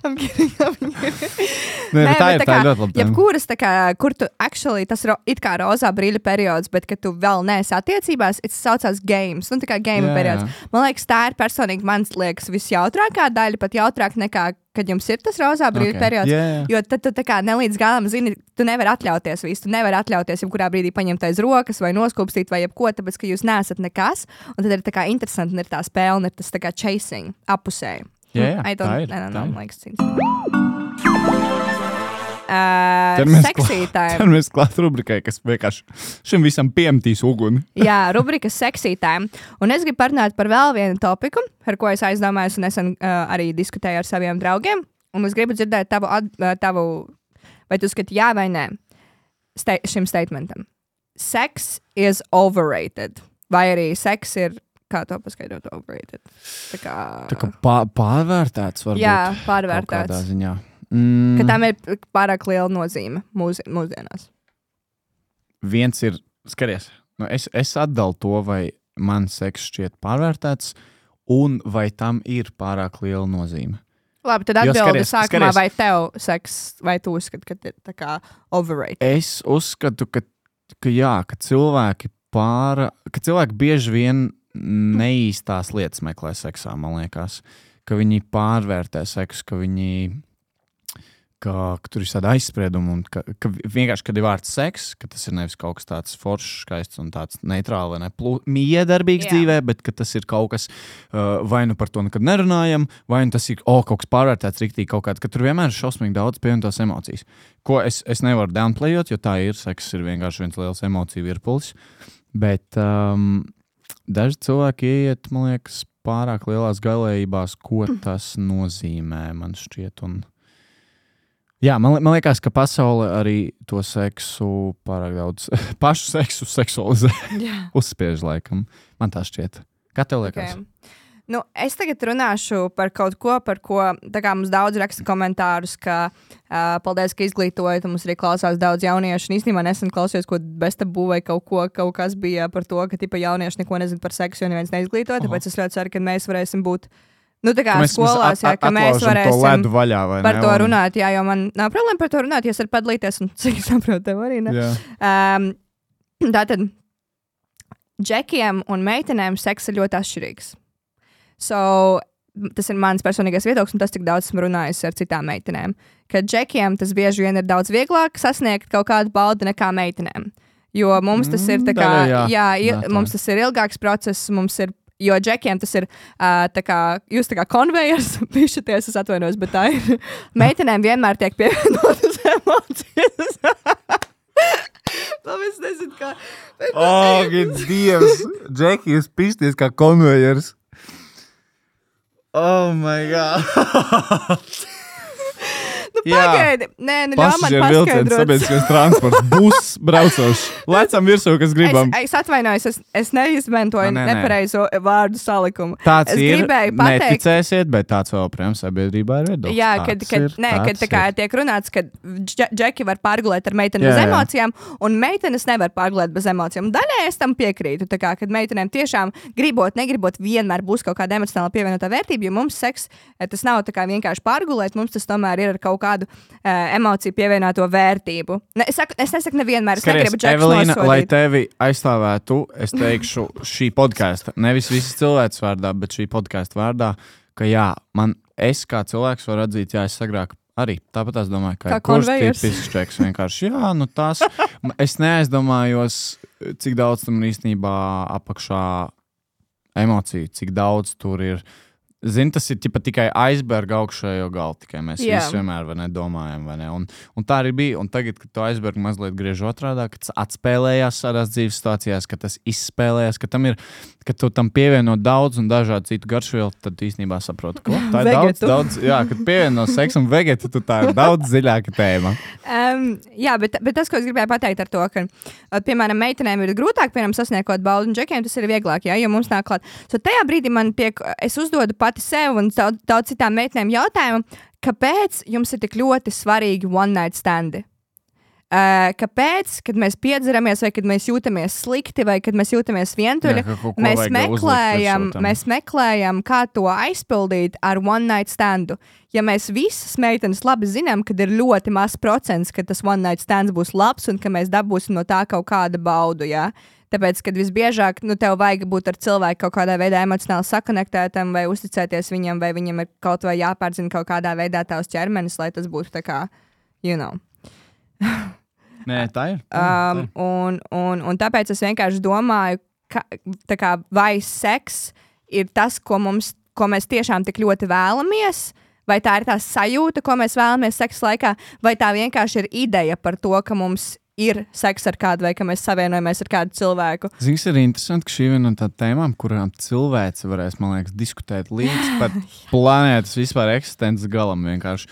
I'm kidding, I'm kidding. Nē, Nē, tā ir, tā ir ļoti labi. Jebkuras, tā kā, kur tu actually, tas ro, it kā rozā brīļa periods, bet ka tu vēl neesi attiecībās, tas saucās games. Nu, tā kā game yeah, periods. Yeah. Man liekas, tā ir personīgi, man liekas, visjautrākā daļa, pat jautrāk nekā, kad jums ir tas rozā brīļa okay. periods. Yeah, yeah. Jo tad tu tā kā nelīdz galam zini, tu nevari atļauties visu. Tu nevari atļauties jebkurā brīdī paņemt aiz rokas vai noskūpstīt vai jebko, tāpēc, ka jūs neesat nekas. Un tad ir tā kā interesanti, un ir tā spēle, un ir tas tā kā chasing, apusēji. Jā, jā, I don't, tā ir. I don't know, tā ir. Like, uh, sexy time. Tad mēs klāt rubrikai, kas vienkārši šim visam piemetīs uguni. Jā, rubrika sexy time. Un es gribu parunāt par vēl vienu topiku, ar ko es aizdomājos un nesen uh, arī diskutēju ar saviem draugiem. Un es gribu dzirdēt tavu, uh, tavu vai tu skati jā vai nē, sta- šim statementam. Sex is overrated. Vai arī sex ir kā to paskaidrot overrated? Tā kā, tā kā pār, pārvērtēts varbūt. Jā, pārvērtēts. Kādā ziņā. Mm. Ka tam ir pārāk liela nozīme mūs, mūsdienās. Viens ir, skaties, nu es, es atdalu to, vai man seks šķiet pārvērtēts, un vai tam ir pārāk liela nozīme. Labi, tad atbildi skaties, sākumā, skaties. vai tev seks, vai tu uzskati, ka ir tā kā overrated? Es uzskatu, ka, ka jā, ka cilvēki pāra, ka cilvēki bieži vien neīstās lietas meklē seksā, man liekas, ka viņi pārvērtē seksu, ka viņi, ka, ka tur ir tāda aizsprieduma un ka, ka vienkārši, kad ir vārds seks, ka tas ir nevis kaut kas tāds foršs, skaists un tāds neitrāli vai ne plū, miedarbīgs yeah. dzīvē, bet ka tas ir kaut kas, uh, vai nu par to nekad nerunājam, vai nu tas ir, o, oh, kaut kas pārvērtēts riktīgi kaut kāds, ka tur vienmēr ir šausmīgi daudz pievienotās emocijas, ko es, es nevaru downplayot, jo tā ir, seks ir vienkārši viens liels emociju virpulis, bet um, daži cilvēki ieiet, man liekas, pārāk lielās galējībās, ko tas nozīmē, man šķiet. Un... Jā, man, man liekas, ka pasaule arī to seksu pārāk daudz, pašu seksu seksualizē, yeah. uzspiež laikam. Man tā šķiet. Kā tev liekas? Okay. Nu, es tagad runāšu par kaut ko, par ko tā kā mums daudz raksta komentārus, ka uh, paldies, ka izglītojat, un mums arī klausās daudz jauniešu. Un īstenībā nesen klausījos, ko Bestabu vai kaut ko, kaut kas bija par to, ka tipa jaunieši neko nezin par seksu, jo neviens neizglītoja, tāpēc es ļoti ceru, ka mēs varēsim būt, nu tā kā mēs, skolās, mēs jā, ka mēs varēsim vaļā, par ne? to Un... runāt, jā, jo man nav problēma par to runāt, ja es varu padalīties, un cik saprotu tev arī, ne? Um, tātad, džekiem un meitenēm seks ir ļoti atšķirīgs. So, tas ir mans personīgais viedoklis, un tas, cik daudz esmu runājis ar citām meitenēm. Ka džekiem tas bieži vien ir daudz vieglāk sasniegt kaut kādu baudi nekā meitenēm. Jo mums tas ir tā kā, mm, jā, jā, jā, jā mums tas ir ilgāks process, mums ir, jo džekiem tas ir uh, tā kā, jūs tā kā konvejers, pišaties, es atvainojos, bet tā ir. Meitenēm vienmēr tiek pievienotas emocijas. Labi, es nezinu, kā. O, oh, Dievs! Džeki, jūs pišties kā konvejers. Oh my god! Nu, Pagaidi! Nē, nu ļauj man Pasažieru vilciens, paskaidrot. sabiedriskais transports, bus braucošs. Lecam virsū, kas gribam. Es, es atvainojos, es, es neizmantoju A, nē, nē. nepareizo vārdu salikumu. Tāds es ir, gribēju pateikt, neticēsiet, bet tāds vēl, protams, sabiedrībā ir viedoklis. jā, kad, Tāds kad, ir, nē, kad tā tāds kā ir. tiek runāts, ka dž- džeki var pārgulēt ar meiteni Jā, bez jā. emocijām, un meitenes nevar pārgulēt bez emocijām. Daļai es tam piekrītu, tā kā, kad meitenēm tiešām gribot, negribot, vienmēr būs kaut kāda emocionāla pievienotā vērtība, jo mums seks, eh, tas nav tā kā vienkārši pārgulēt, mums tas tomēr ir ar kaut kādu uh, emociju pievienoto vērtību. Ne, es, saku, es nesaku nevienmēr, es Skaties, negribu džekus Evelīna, lai nosodīt. tevi aizstāvētu, es teikšu šī podkāsta, nevis visas cilvēks vārdā, bet šī podkāsta vārdā, ka jā, man, es kā cilvēks varu atzīt, jā, es agrāk arī tāpat es domāju, ka Kā ir kurš konvejers. tipisks čeks vienkārši, jā, nu tas, es neaizdomājos, cik daudz tam īstenībā apakšā emociju, cik daudz tur ir. Zini, tas ir ķipa, tikai aizberga augšējo galu, tikai mēs Jā. visi vienmēr vai ne, domājam. Vai ne? Un, un tā arī bija. Un tagad, kad to aizbergu mazliet griež otrādā, kad tas atspēlējās tādās dzīves situācijās, ka tas izspēlējās, ka tam ir, ka tu tam pievieno daudz un dažādu citu garšvielu, tad īstenībā saproti, ko tā ir daudz, Vegetu. daudz. Jā, kad pievieno seksu un vegetu, tad tā ir daudz dziļāka tēma. Um, jā, bet, bet tas, ko es gribēju pateikt ar to, ka, uh, piemēram, meitenēm ir grūtāk, piemēram, sasniegt baudu, un džekiem tas ir vieglāk, jā, jo mums nāk klāt. So tajā brīdī man tiek, es uzdodu pati sev un daudz, daudz citām meitenēm jautājumu, kāpēc jums ir tik ļoti svarīgi one night standi? Uh, kāpēc, kad mēs piedzeramies, vai kad mēs jūtamies slikti, vai kad mēs jūtamies vientuļi, Jā, ka kaut ko mēs vajag uzlikt meklējam, virsū tam. mēs meklējam, kā to aizpildīt ar one night standu. Ja mēs visas meitenes labi zinām, kad ir ļoti maz procents, ka tas one night stands būs labs un ka mēs dabūsim no tā kaut kādu baudu, jā. Tāpēc, kad visbiežāk nu, tev vajag būt ar cilvēku kaut kādā veidā emocionāli sakonektētam vai uzticēties viņam, vai viņam ir kaut vai jāpārzina kaut kādā veidā tavs ķermenis, lai tas būtu tā kā, you know. Nē, tā ir. Tā ir, tā Um, ir. un, un, un tāpēc es vienkārši domāju, ka, tā kā, vai seks ir tas, ko, mums, ko mēs tiešām tik ļoti vēlamies, vai tā ir tā sajūta, ko mēs vēlamies seksa laikā, vai tā vienkārši ir ideja par to, ka mums ir seks ar kādu, vai ka mēs savienojamies ar kādu cilvēku. Zini, kas ir interesanti, ka šī ir viena no tādām tēmām, kurām cilvēks varēs, man liekas, diskutēt līdz pat planētas vispār eksistences galam vienkārši.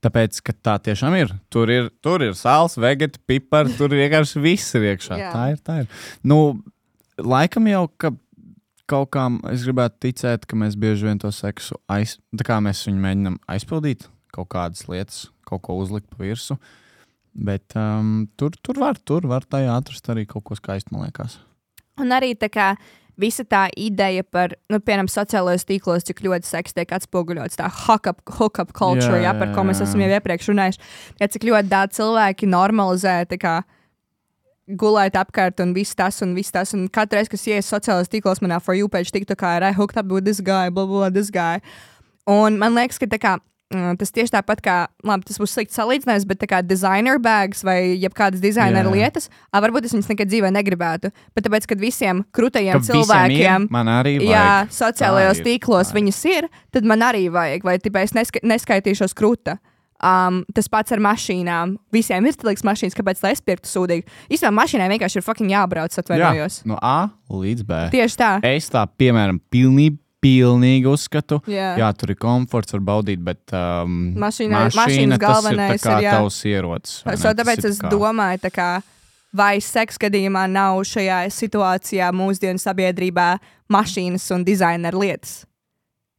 Tāpēc, ka tā tiešām ir. Tur ir, tur ir sāls, vegeta, pipari, tur vienkārši viss ir iekšā. Jā. Tā ir, tā ir. Nu, laikam jau, ka kaut kā es gribētu ticēt, ka mēs bieži vien to seksu aiz... Tā kā mēs viņu mēģinām aizpildīt, kaut kādas lietas, kaut ko uzlikt pa virsu. Bet um, tur, tur var, tur var tajā atrast arī kaut ko skaistu, man liekas. Un arī tā kā visa tā ideja par, nu, piemēram, sociālajos tīklos, cik ļoti seks tiek atspoguļots, tā hook-up, hook-up culture, Jā, jā, par ko mēs jā, esam jā. jau iepriekš runājuši. Ja cik ļoti daudz cilvēki normalizē, tā kā gulēt apkārt un viss tas un viss tas. Un katru reizi, kas ies sociālajos tīklos, manā For You page tiktu kā, I hooked up with this guy, blah, blah, this guy. Un man liekas, ka tā kā Mm, tas tieši tāpat kā, labi, tas būs slikts salīdzinājums, bet tā kā designer bags vai jebkādas designer Jā. lietas, ā, varbūt es viņas nekad dzīvē negribētu. Bet tāpēc, kad visiem krūtajiem Ka visiem cilvēkiem, ir, man arī vajag. jā, sociālajos Tā ir, tīklos tā ir. viņas ir, tad man arī vajag, vai tipā es neska neskaitīšos krūta. Um, tas pats ar mašīnām. Visiem ir stilīgs mašīnas, kāpēc lai es pirktu sūdīgi. Īstenībā mašīnai vienkārši ir fucking jābrauc, atvainojos. Jā, no A līdz B. Tieši tā. Es tā, piemēram, pilnīgi, pilnīgi uzskatu. Jā. Jā, tur ir komforts, var baudīt, bet um, Mašīnai- mašīna, mašīnas tas galvenais ir tā kā ir, jā. tavs ierocis. vai So, ne? Tas tāpēc ir es kā- domāju, tā kā, vai seks gadījumā nav šajā situācijā mūsdienu sabiedrībā mašīnas un dizaineru lietas.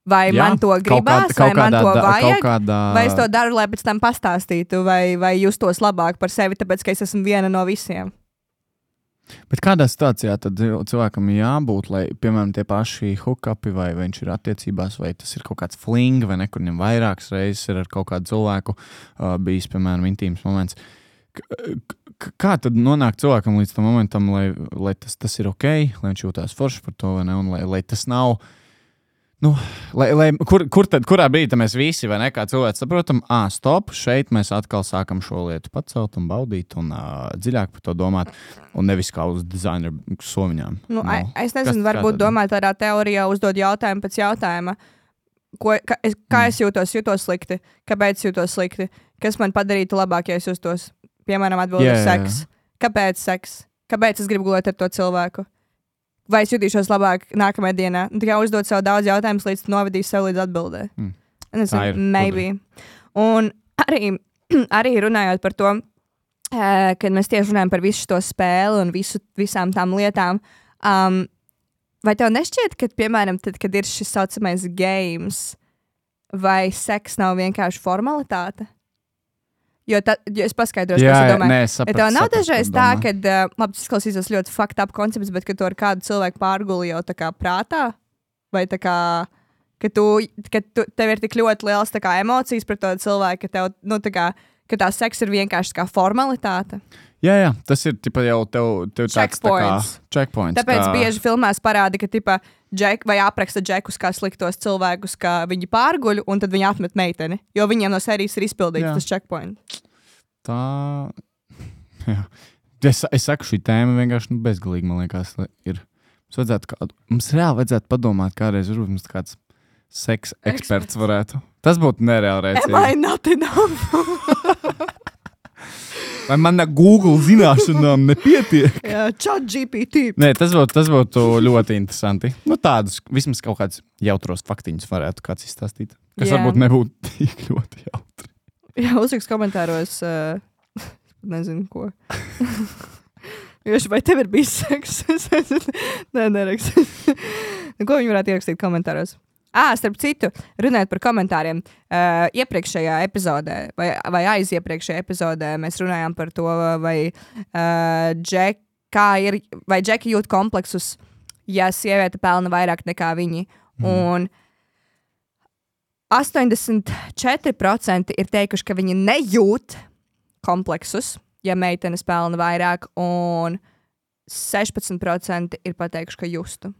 Vai Jā, man to kaut gribās, kādā- vai kaut man kādā to da- vajag, kaut kādā- vai es to daru, lai pēc tam pastāstītu, vai, vai justos labāk par sevi, tāpēc, ka es esmu viena no visiem. Bet kādā situācijā tad cilvēkam ir jābūt, lai, piemēram, tie paši hookupi, vai viņš ir attiecībās, vai tas ir kaut kāds fling, vai nekur viņam vairākas reizes ir ar kaut kādu cilvēku uh, bijis, piemēram, intīms moments. K k kā tad nonāk cilvēkam līdz tam momentam, lai, lai tas, tas ir ok, lai viņš jūtās forši par to, vai ne, un lai, lai tas nav... Nu, lai, lai, kur, kur tad, kurā brīdī mēs visi, vai ne, kā cilvēki saprotam, ā, stop, šeit mēs atkal sākam šo lietu pacelt un baudīt un uh, dziļāk par to domāt, un nevis kā uz dizaineru somiņām. Nu, No. no. Es nezinu, Kas- varbūt kā tad? domāt tādā teorijā, uzdod jautājumu pēc jautājuma. Ko, ka, es, kā es jūtos, jūtos slikti? Kāpēc jūtos slikti? Kas man padarītu labāk, ja es justos, piemēram, atbildēt Jā, jā, jā. seks? Kāpēc seks? Kāpēc es gribu gulēt ar to cilvēku? Vai es jutīšos labāk nākamajā dienā? Nu, tikai uzdot sev daudz jautājumus, līdz novedīs sev līdz atbildē. Mm. Nezinu, Tā ir maybe. Un arī arī runājot par to, uh, kad mēs tieši runājam par visu to spēli un visu, visām tām lietām, um, vai tev nešķiet, ka, piemēram, tad, kad ir šis saucamais games, vai seks nav vienkārši formalitāte? Jo, ta, jo es paskaidrošu, jā, kas es domāju. Nē, saprat, ja tev nav saprat, dažreiz tā, ka, uh, labi, tas klausīsies ļoti fucked up koncepts, bet ka tu ar kādu cilvēku pārguli jau tā kā prātā, vai tā kā, ka, tu, ka tu, tev ir tik ļoti liels tā kā emocijas par to cilvēku, ka tev, nu, tā kā, ka tā seks ir vienkārši kā formalitāte. Jā, jā, tas ir tipa jau tev, tev tāds tā kā checkpoints. Tāpēc kā... bieži filmās parāda, ka tipa džek, vai apraksta džekus kā sliktos cilvēkus, ka viņi pārguļ un tad viņi atmet meiteni, jo viņiem no sērijas ir izpildīts jā. Tas checkpoint. Tā, jā. Es, es saku, šī tēma vienkārši nu, bezgalīgi, man liekas, ir. Mums vajadzētu kādu, mums reāli vajadzētu padomāt, kādreiz varbūt mums kāds seks eksperts varētu. Tas būtu nereāli rēcīgi. Am I not enough? Vai man Google zināšanām nepietiek? Jā, chat G P T. Nē, tas būtu, tas būtu ļoti interesanti. Nu, tādus, vismaz kaut kādus jautros faktiņus varētu kāds izstāstīt. Kas jā. Varbūt nebūtu tik ļoti jautri. Jā, uzrakst komentāros, uh, nezinu ko. Joši, vai tev ir bijis seks? Nē, nerakst. Ko viņi varētu ierakstīt komentāros? Ā, starp citu, runājot par komentāriem, uh, iepriekšējā epizodē, vai, vai aiziepriekšējā epizodē mēs runājām par to, vai uh, Džek, kā ir, vai Džeki jūt kompleksus, ja sieviete pelna vairāk nekā viņi. Mm. Un astoņdesmit četri procenti ir teikuši, ka viņi nejūt kompleksus, ja meitenes pelna vairāk, un sešpadsmit procenti ir pateikuši, ka justu.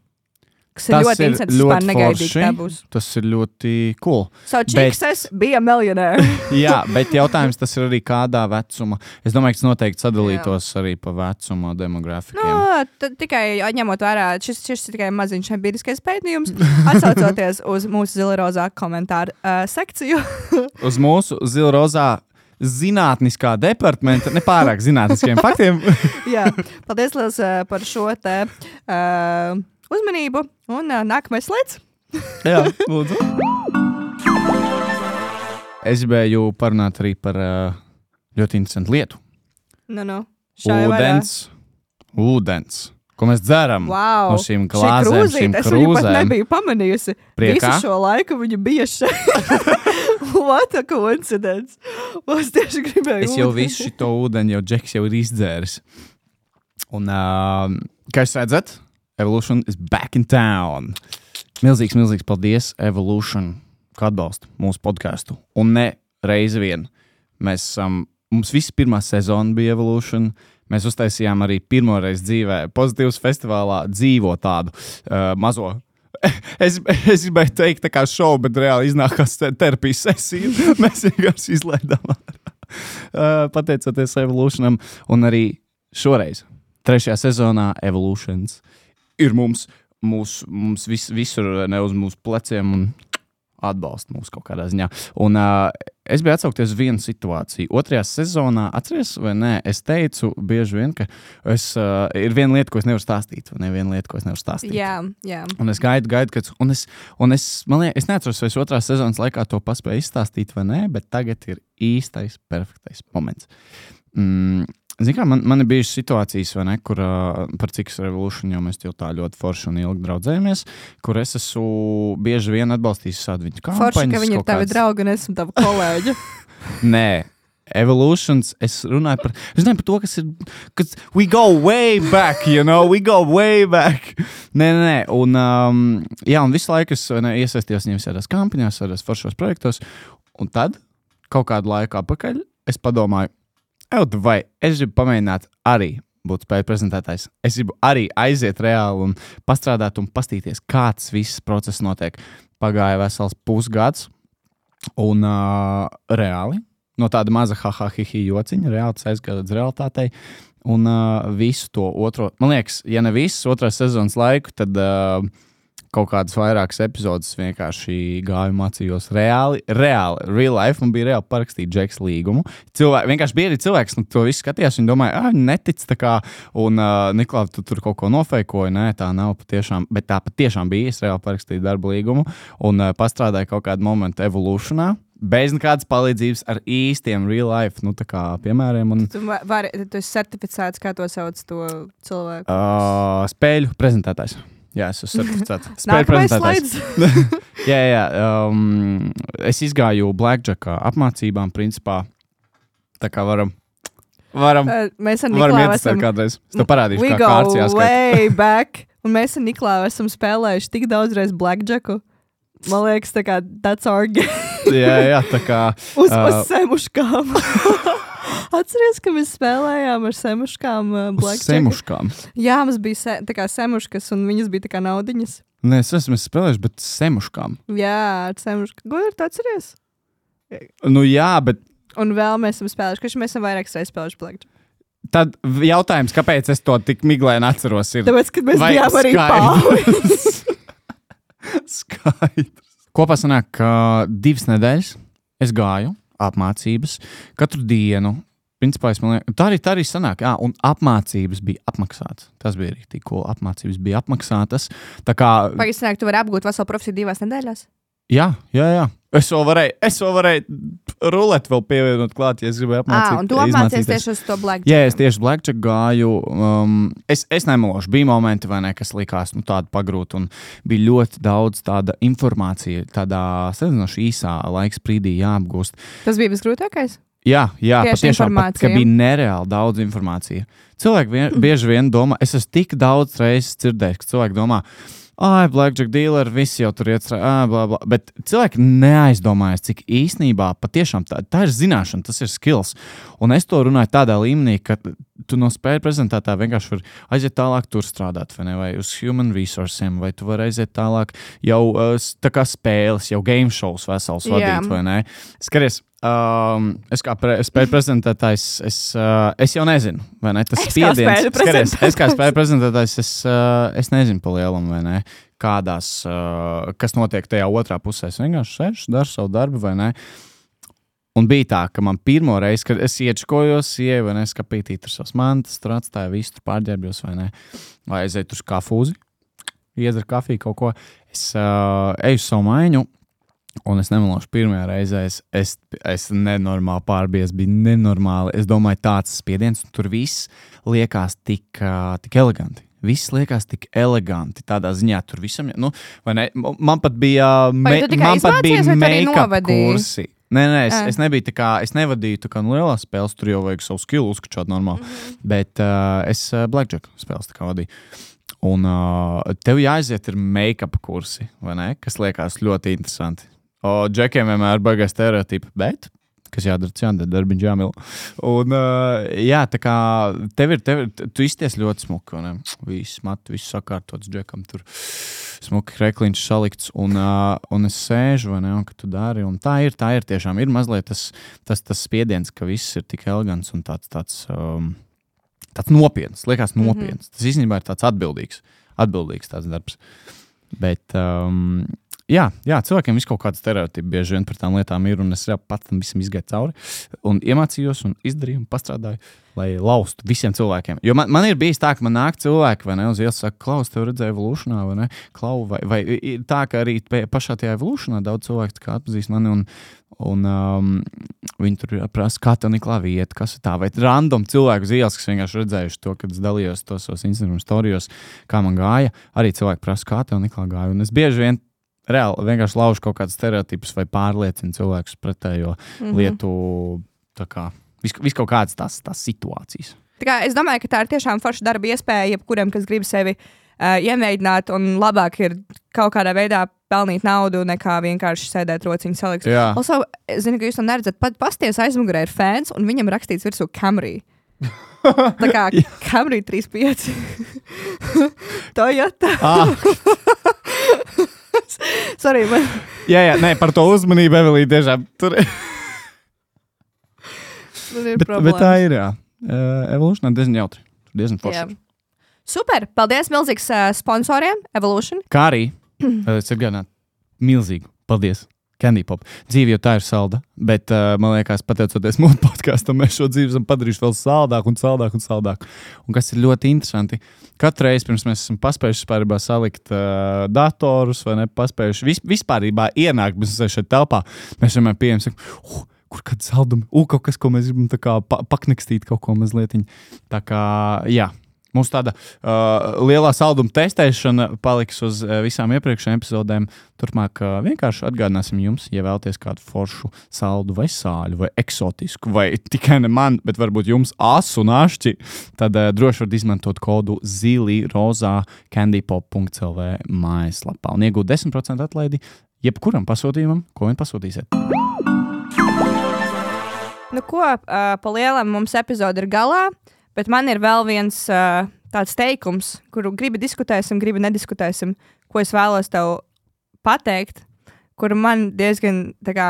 Kas ir tas ļoti interesants, vispār negaidīgi tā būs. Tas ir ļoti cool. So, Čikses bet... bija miljonēri. Jā, bet jautājums tas ir arī kādā vecuma. Es domāju, ka tas noteikti sadalītos jā. Arī pa vecuma demografikiem. No, t- tikai ņemot vērā, šis, šis ir tikai maziņš empiriskais pētījums, atsaucoties uz mūsu zilrozā komentāru uh, sekciju. Uz mūsu zilrozā zinātniskā departamenta, nepārāk zinātniskiem faktiem. Jā, paldies liels uh, par šo te... Uh, uzmanību, un uh, nākamais slēdz. Jā, lūdzu. Es gribēju parunāt arī par uh, ļoti interesantu lietu. Nu, nu. Ūdens. Ūdens. Ko mēs dzeram wow. no šīm glāzēm, šīm krūzēm. Es viņu pat nebiju pamanījusi. Priekā? Visu šo laiku viņa bija šeit. What a coincidence. Es tieši gribēju Es jau ūdeni. visu šito ūdeni, jau Džeks jau ir izdzēris. Un, uh, kā jūs redzat, Evolution is back in town. Milzīgs, milzīgs paldies Evolution, ka atbalsta mūsu podcastu. Un ne reizi vien. Mēs esam, um, mums viss pirmā sezona bija Evolution. Mēs uztaisījām arī pirmo reizi dzīvē Pozitīvs festivālā dzīvo tādu uh, mazo. Es, es gribēju teikt tā kā šovu, bet reāli iznākās terapijas sesija. Mēs vienkārši izlaidām ārā. Uh, pateicoties Evolutionam. Un arī šoreiz, trešajā sezonā Evolutions ir mums, mūs, mums vis, visur ne uz mūsu pleciem un atbalsta mūs kaut kādā ziņā. Un uh, es biju atsaukties uz vienu situāciju. Otrajā sezonā, atceries vai nē, es teicu bieži vien, ka es, uh, ir viena lieta, ko es nevaru stāstīt, vai ne viena lieta, ko es nevaru stāstīt. Jā, jā. Un es gaidu, gaidu, kad, un es, un es, man liekas, es neatceros, vai es otrās sezonas laikā to paspēju izstāstīt vai nē, bet tagad ir īstais, perfektais moments. Mm. Zini kā, man, man ir bijušas situācijas, vai ne, kur uh, par Cikas Revolution jau mēs jau tā ļoti forši un ilgi draudzējamies, kur es esmu bieži vien atbalstījis šādu viņu kampaņas. Forši, ka viņi ir tavi kāds... draugi un esmu tavi kolēģi. Nē, Evolutions, es runāju par, es runāju par to, kas ir, kas we go way back, you know, we go way back. Nē, nē, nē, un, um, jā, un visu laiku es ne, iesaistījos viņiem visādās kampaņās, visādās foršos projektos, un tad, kaut kādu laiku apakaļ, es padomāju, vai es gribu pamēģināt arī būt spēju prezentētājs. Es gribu arī aiziet reāli un pastrādāt un pastīties, kāds viss process notiek. Pagāja vesels pusgads un uh, reāli no tāda maza haha hihi jociņa reāli tas aizgāja līdz realitātei un uh, visu to otro, man liekas, ja ne visu otrās sezonas laiku, tad uh, kaut kādas vairākas epizodes vienkārši gāju mācījos reāli, reāli, real life, man bija reāli parakstīt Džeks līgumu. Cilvēki, vienkārši bija arī cilvēks, nu, to visu skatījās, viņi domāja, ah, netic tā kā, un uh, Niklāv, tu tur kaut ko nofeikoji, nē, tā nav patiešām, bet tā patiešām bija, es reāli parakstīju darba līgumu, un uh, pastrādāju kaut kādu momentu Evolutionā, bez nekādas palīdzības ar īstiem real life, nu tā kā piemēriem. Un, Tu, vari, tu esi certificēts, kā to sauc to cilvēku. uh, spēļu prezentētājs. Jā, es esmu certificēts. Spēļu Nākamais prezentētājs. slaids. jā, jā. Um, es izgāju Blackjackā apmācībām, principā. Tā kā varam, varam, Uh, mēs ar varam Niklāvu ietestēt esam... kādreiz. Es tev parādīšu, We kā go kārts jāskait. way back. Un mēs ar Niklāvu esam spēlējuši tik daudz reiz Blackjacku. Man liekas, tā kā that's our game. jā, jā, tā kā. Uz, Uh, uz semuškām. Atceries, ka mēs spēlējām ar semuškām uh, Uz Blackjacku? semuškām. Jā, mums bija se, tā kā semuškas, un viņas bija tā kā naudiņas. Nē, es esmu spēlējis, bet semuškām. Jā, ar semuškām. Gudri, tu atceries? Nu jā, bet Un vēl mēs esam spēlējuši, ka mēs esam vairākas reizes spēlējuši Blackjack. tad jautājums, kāpēc es to tik miglēni atceros, ir. Tāpēc, kad mēs Vai bijām arī skaidrs? pāri. Skaidrs. Kopā sanāk, ka divas nedēļas es gāju apmācības katru dienu. Principā, es man liekas, tā arī, tā arī sanāk, jā, un apmācības bija apmaksātas. Tas bija arī tik cool. Apmācības bija apmaksātas. Tā kā, Pagaidzi, sanāk, tu vari apgūt veselu profesiju divās nedēļās? jā, jā, jā. Es vēl varēju, es vēl varēju rulēt vēl pievienot klāt, ja es gribēju apmācīt. Ah, un tu apmācies izmācīties. tieši uz to Blackjack. Jā, es tieši Blackjack gāju. Um, es, es nemelošu, bija momenti, vai ne, kas likās nu, tādi pagrūti. Un bija ļoti daudz tāda informācija, tādā salīdzinoši īsā laika sprīdī jāapgūst. Tas bija visgrūtākais? Jā, jā Tieši patiešām, pat, ka informācija. bija nereāli daudz informācija. Cilvēki vien, bieži vien domā, es esmu tik daudz reizes dzirdējis, ka cilvēki domā, ah, Blackjack dealer, visi jau tur iet, ah, bla, bla. Bet cilvēki neaizdomājas, cik īsnībā patiešām tā, tā ir zināšana, tas ir skills. Un es to runāju tādā līmenī, ka tu no spēļu prezentētā vienkārši vari aiziet tālāk tur strādāt, vai ne, vai uz human resourciem, vai tu vari aiziet tālāk jau uh, tā kā spēles, jau game shows vesels Jā. vadīt, vai ne? Skaties, um, es kā pre, spēļu prezentētājs, es, uh, es jau nezinu, vai ne, tas Es kā spiediens. spēļu Skaties, es kā spēļu prezentētājs, es, uh, es nezinu pa lielam, vai ne, kādās, uh, kas notiek tajā otrā pusē. Es vienkārši sēžu, daru savu darbu, vai ne. Un bija tā, ka man pirmo reizi, kad es iečkojos, ieju, vai ne, skapītī tur savas mantas, tur atstāju visu, tur pārģērbjos, vai ne, vai aiziet uz kafūzi, iedzer kafiju kaut ko. Es uh, eju uz savu maiņu, un es nemelošu pirmajā reizē, es, es, es nenormāli pārbies, bija nenormāli. Es domāju, tāds spiediens, un tur viss liekas tik, uh, tik eleganti. Viss liekas tik eleganti. Tādā ziņā tur visam, nu, vai ne, man pat bija, Vai me, tu tikai man pat bija izmācies, vai tu arī make-up novadīji? kursi. Nē, nē, es, Ā. es nebiju tā kā, es nevadīju tā kā nu lielās spēles, tur jau vajag savu skillu uzskačāt normāli, mm-hmm. bet uh, es uh, Blackjack spēles tā kā vadīju. Un uh, tev jāaiziet ir make-up kursi, vai ne, kas liekas ļoti interesanti. O, džekiem vienmēr baigās stereotipi, bet, kas jādara, jādara, darbiņš jāmil. Un, uh, jā, tā kā tev ir, tev ir, tu izties ļoti smuki, vai ne, viss mati, viss sakārtots džekam tur. Smuki krekliņš salikts, un, uh, un es sēžu, vai ne, un ka tu dari, un tā ir, tā ir tiešām, ir mazliet tas, tas, tas spiediens, ka viss ir tik elegants un tāds, tāds, um, tāds nopietns, liekas nopietns. Mm-hmm. Tas īstenībā ir tāds atbildīgs, atbildīgs tāds darbs. Bet, um, jā, jā, cilvēkiem viss kaut kāda stereotipa bieži vien par tām lietām ir, un es jau pats tam visam izgāju cauri, un iemācījos, un izdarīju, un pastrādāju, lai laustu visiem cilvēkiem. Jo man, man ir bijis tā, ka man nāk cilvēki, vai ne, uz ielas saka, Klaus, tev redzēja Evolutionā, vai ne, Klau, vai, vai ir tā, ka arī pašā tajā Evolutionā daudz cilvēku tā kā atpazīst mani, un, un um, viņi tur prasa, kā tev Niklā vieta, kas ir tā, vai random cilvēku uz ielas, kas vienkārši redzējuši to, kad es dalījos tos savos Instagram storijos, kā man gāja, arī cilvēki prasa, kā tev Niklā gāja, un es bieži vien reāli vienkārši laužu kaut kādas stereotipus vai pārliecinu cilvēkus pretējo mm-hmm. lietu, tā kā vis, vis kaut kādas tās, tās situācijas. Tā kā, es domāju, ka tā ir tiešām forša darba iespēja, jebkuram, kas grib sevi uh, iemēģināt, un labāk ir kaut kādā veidā pelnīt naudu, nekā vienkārši sēdēt rociņu salikt. Jā. Also, es zinu, ka jūs to neredzat, pat pasties aizmugurē ir fans, un viņam rakstīts virsū Camry. Tā kā Camry trīs pieci. Toyota. Ah. Sorry, man. jā, jā, nē, par to uzmanību, Evelīna, tiešām tur ir. Man ir bet, problēmas. bet tā ir, jā. Uh, Evolution ir diezgan jautri. Diezgan Jā. forši. Super! Paldies milzīgs uh, sponsoriem, Evolution. Kā arī, es atgādinātu, milzīgu paldies Candy Pop. Dzīve jau tā ir salda, bet uh, man liekas, pateicoties mūsu podkāstam, mēs šo dzīvi esam padarījuši vēl saldāku un saldāku un saldāku. Un kas ir ļoti interesanti, katru reizi pirms mēs esam paspējuši vispārībā salikt uh, datorus vai ne, paspējuši vis, vispārībā ienākt, mēs esam šeit telpā, mēs vienmēr pieejam, sakam, uh, kur kāds saldumi, uh, kaut kas, ko mēs gribam tā kā pa, paknekstīt kaut ko mazlietiņ. Tā kā, jā. Mums tāda uh, lielā salduma testēšana paliks uz uh, visām iepriekšējām epizodēm. Turpmāk uh, vienkārši atgādināsim jums, ja vēlaties kādu foršu saldu vai sāļu vai eksotisku, vai tikai ne man, bet varbūt jums asu un ašķi, tad uh, droši varat izmantot kodu zili rozā candypop punkt l v mājaslapā un iegūt desmit procentu atlaidi jebkuram pasūtījumam, ko vien pasūtīsiet. Nu ko, uh, pa lielam mums epizode ir galā. Bet man ir vēl viens uh, tāds teikums, kuru gribi diskutēsim, gribi nediskutēsim, ko es vēlos tev pateikt, kuru man diezgan, tā kā,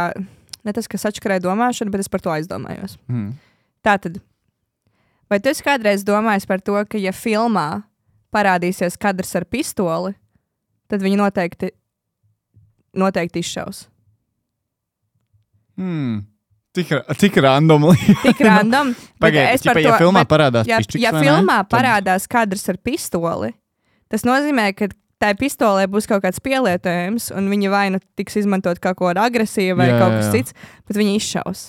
ne tas, kas atškarēja domāšanu, bet es par to aizdomājos. Mm. Tātad, vai tu esi kādreiz domājis par to, ka ja filmā parādīsies kadrs ar pistoli, tad viņi noteikti, noteikti izšaus? Hmm. Tik, tik random. Tik random. Pagaidiet, ja, ja filmā bet, parādās ja, pišķiks, ja filmā tad... parādās kadrs ar pistoli, tas nozīmē, ka tai pistolē būs kaut kāds pielietojums, un viņa vai nu tiks izmantot kaut ko agresīvu vai jā, kaut kas jā. Cits, bet viņa izšaus.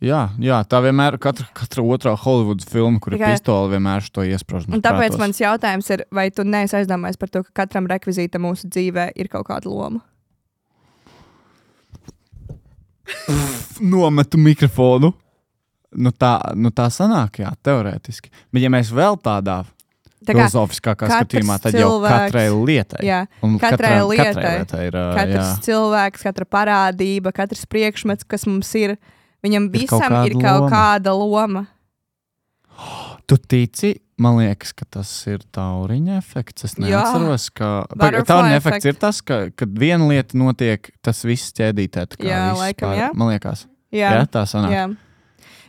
Jā, jā, tā vienmēr, katra, katra otrā Hollywoods filma, kur ir pistole, vienmēr šo iesprāž. Un tāpēc prātos. Mans jautājums ir, vai tu neesi aizdomājies par to, ka katram rekvizītam mūsu dzīvē ir kaut kāda loma? Nometu mikrofonu. Nu tā, nu tā sanāk, jā, teorētiski. Bet ja mēs vēl tādā tā filozofiskākā skatījumā, tad cilvēks, jau katrai lietai. Jā, un katrai, katrai, lietai. Katrai lietai ir, katrs jā. cilvēks, katra parādība, katrs priekšmets, kas mums ir, viņam ir visam kaut ir kaut loma. kāda loma. Tu tici? Man liekas, ka tas ir tauriņa efekts. Es neatceros, ka... Tauriņa efekts ir tas, ka, kad viena lieta notiek, tas viss ķēdītē. Jā, laikam, jā. Man liekas. Jā, jā tā sanāk. Jā.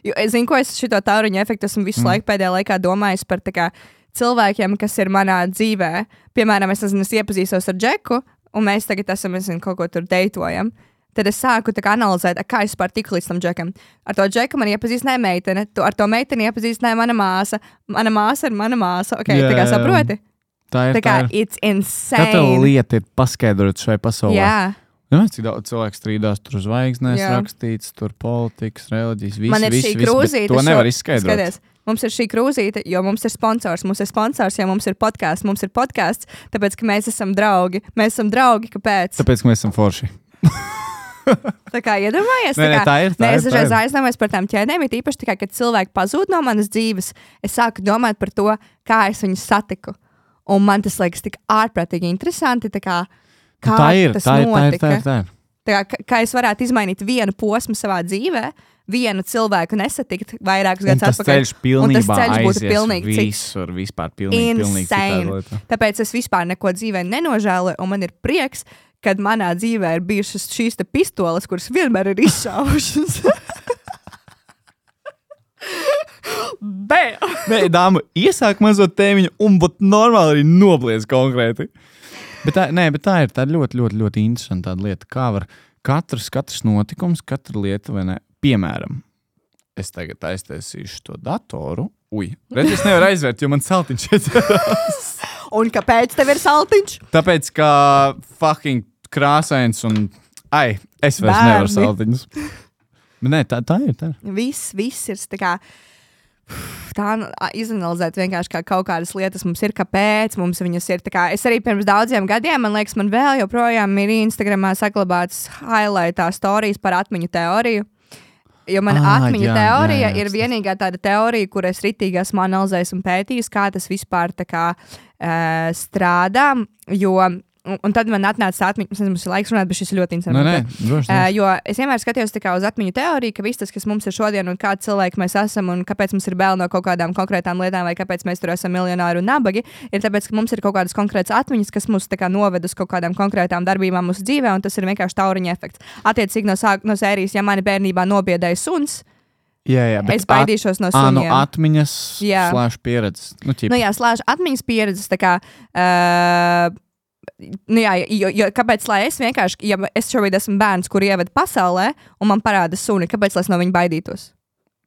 Jo, es zinu, ko es šito tauriņa efektu esmu visu mm. laiku pēdējā laikā domājis par tā kā cilvēkiem, kas ir manā dzīvē. Piemēram, es, nezinu, es iepazīstos ar Džeku, un mēs tagad esam, es zinu, kaut ko tur deitojam. Tad es sāku tā kā analizēt, kā es par tiku līdz tam Džekam. Ar to Džeku man iepazīstināja meitene, tu ar to meiteni iepazīstināja mana māsa. Mana māsa ir mana māsa. Ok, jā, tā kā saproti? Tā ir, tā kā, tā ir. It's insane. Katra lieta ir paskaidrot šai pasaulē. Jā. Jā, cik daudz cilvēku strīdās, tur zvaigznēs jā. Rakstīts, tur politikas, reliģijas, viss, man ir viss, šī viss, krūzīte. To nevar šo, izskaidrot. Skaties, mums ir šī krūzīte, jo mums ir sponsors. Mums ir sponsors, jo mums ir podkāsts. Mums ir podkāsts, tāpēc, ka mēs esam draugi. Mēs esam draugi, kāpēc? Tāpēc, ka mēs esam forši. Tā kā iedomājies, nē, nē, tā ir. Tā es dažreiz ir. aizdomājos par tām ķēdēm, it īpaši tikai, kad cilvēki pazūd no manas dzīves, es sāku domāt par to, kā es viņus satiku. Un man tas liekas tik ārprātīgi interesanti, tā kā, kā tā ir, tas tā ir, notika. Tā ir, tā ir, tā ir. Tā kā, kā es varētu izmainīt vienu posmu savā dzīvē, vienu cilvēku nesatikt vairākus gadus atpakaļ. Ceļš un tas ceļš būtu aizies pilnīgi visur, vispār pilnīgi, pilnīgi citā lietā. Tāpēc es vispār neko dzīvē nenožēloju, un man ir prieks, kad manā dzīvē ir bijušas šīs te pistoles, kuras vienmēr ir izšaušas. Bēl! Nē, dāma, iesāk mazo tēmiņu un būt normāli arī nobliez konkrēti. Bet tā, nē, bet tā ir tā ļoti, ļoti, ļoti interesanta tāda lieta, kā var katrs, katrs notikums, katra lieta, vai ne, piemēram, es tagad aiztaisīšu to datoru. Ui, redz, es nevaru aizvērt, jo man saltiņš iedzerās. Un kāpēc tev ir saltiņš? Tāpēc, ka fucking krāsains un, ai, es vairs Bērni. Nevaru saltiņus. Bet nē, tā, tā ir, tā ir. Viss, viss ir tā kā, tā izanalizēt vienkārši kā kaut kādas lietas mums ir, kāpēc mums viņas ir. Tā kā, es arī pirms daudziem gadiem, man liekas, man vēl joprojām ir Instagramā saglabāts highlightā storijas par atmiņu teoriju. Jo man ah, atmiņu jā, teorija jā, jā. ir vienīgā tāda teorija, kur es ritīgi esmu analizējis un pētījis, kā tas vispār tā kā uh, strādā, jo Un, un tad man atnāca atmiņa, es nezinu, mums ir laiks runāt, bet šis ir ļoti interesants. Nē, nē, droši, droši. Uh, jo es vienmēr skatījos uz atmiņu teoriju, ka viss tas, kas mums ir šodien un kādi cilvēki mēs esam un kāpēc mums ir bail no kaut kādām konkrētām lietām vai kāpēc mēs tur esam miljonāri un nabagi, ir tāpēc, ka mums ir kaut kādas konkrētas atmiņas, kas mūs tā kā noved uz kaut kādām konkrētām darbībām mūsu dzīvē, un tas ir vienkārši tauriņa efekts. Attiecīgi no, sāk, no sērijas, ja mani bērnībā nobiedēja suns, jā, jā, es baidīšos no Ā, suniem. no atmiņas slēš pieredzes. Nu, nu jā, slēš atmiņas pieredzes, tā kā... Uh, nu jā, jo, jo kāpēc, lai es vienkārši, ja es šobrīd esmu bērns, kur ieved pasaulē, un man parāda suni, kāpēc, lai es no viņa baidītos?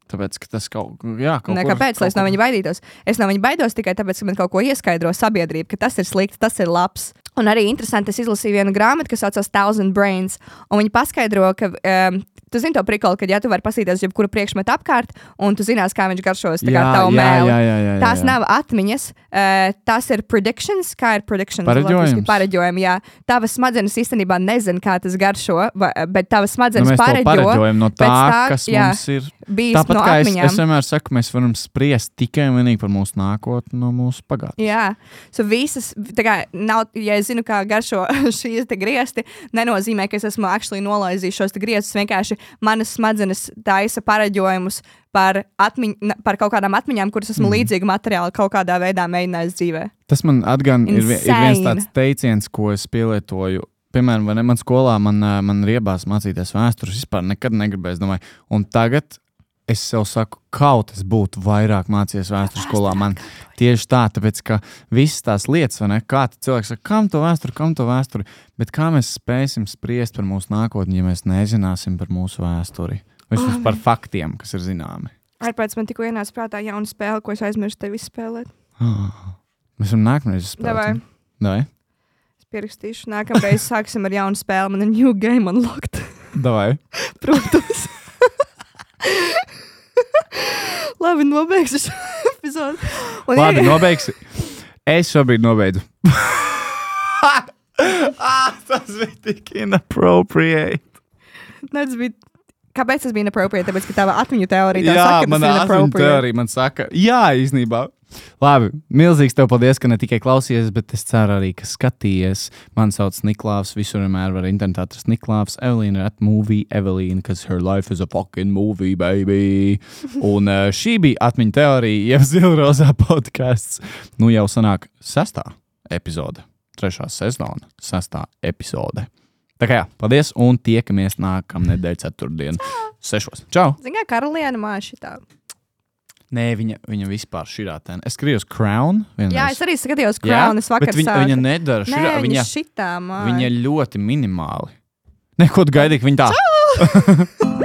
Tāpēc, ka tas kaut, jā, kaut ne, kur... Kāpēc, lai es no viņa baidītos? Es no viņa baidos tikai tāpēc, ka man kaut ko ieskaidro sabiedrība, ka tas ir slikti, tas ir labs. Un arī interesanti, es izlasīju vienu grāmatu, kas saucās Thousand Brains, un viņi paskaidro, ka, um, tu zini to prikolu, ka ja tu vari pasīties jebkuru priekšmetu apkārt, un tu zinās, kā viņš garšos, tā kā Jā, tavu jā, mēli. jā, jā, jā, Tās jā. nav atmiņas, uh, tās ir predictions, kā ir predictions? Pareģojums. Pareģojumi, jā. Tavas smadzenes īstenībā nezin, kā tas garšo, va, bet tavas Nu, smadzenes mēs to pareģo. pareģojam no tā, pēc tā, kas jā, mums ir. bijis Tāpat no kā es, atmiņām. es vienmēr saku, mēs varam spriest tikai un vienīgi par mūsu nākotni no mūsu pagātnes. Jā, so visas, tā kā nav, ja es zinu, kā garšo šīs te griesti, nenozīmē, ka es esmu actually nolaizījis šos te griestus, vienkārši manas smadzenes taisa pareģojumus par, atmiņ, par kaut kādām atmiņām, kuras esmu mm. līdzīgu materiālu kaut kādā veidā mēģinājis dzīvē. Tas man atgan ir, vi- ir viens Insane. tāds teiciens, ko es pielietoju. Piemēram, vai ne, man skolā man, ā, man riebās mācīties vēstures, vispār nekad negribēju, es domāju, un tagad es sev saku, kaut es būtu vairāk mācījies vēstures skolā. Man tieši tā, tāpēc, ka visas tās lietas, vai ne, kā cilvēks saka, kam to vēsturi, kam to vēsturi, bet kā mēs spēsim spriest par mūsu nākotni, ja mēs nezināsim par mūsu vēsturi, vismaz par faktiem, kas ir zināmi. Ārpēc man tikko ienāca prātā jauna spēle, ko es aizmirstu tevi spēlēt. Mēs varam nākamreiz spēlēt. Davai. Davai? Es pierakstīšu, nākamreiz sāksim ar jaunu spēli, man ir new game unlocked. Davai. Protams. Labi, nobeigšu šo epizodu. Un Labi, ir- nobeigsi. Es šobrīd nobeidzu. ah, tas bija tik inappropriate. Ne, tas bija... Kāpēc tas bija inappropriate? Tāpēc, ka tava atmiņu teorija tā Jā, saka, ka manā tas ir atmiņu inappropriate. teorija man saka, jā, īstenībā. Labi, milzīgs tev paldies, ka ne tikai klausies, bet es ceru arī, ka skatījies. Man sauc Niklāvs, visur vienmēr var internetā atrast Niklāvs. Evelīna ir at movie Evelīna, because her life is a fucking movie, baby. Un uh, šī bija atmiņu teorija, jeb Zilrozā podcasts. Nu jau sanāk sestā epizode, trešā sezona, sestā epizode. Tā kā jā, paldies, un tiekamies nākamnedēļ ceturtdien sešos. Čau! Zini, kā karaliene māja šitā. Nē, viņa, viņa vispār šitā ten. Es skatījos Crown vienreiz. Jā, es arī skatījos Crown, es vakar bet viņa, sāku. viņa nedara Nē, šitā. viņa Viņa, šitā māja. viņa ļoti minimāli. Neko tu gaidīji, ka viņa tā.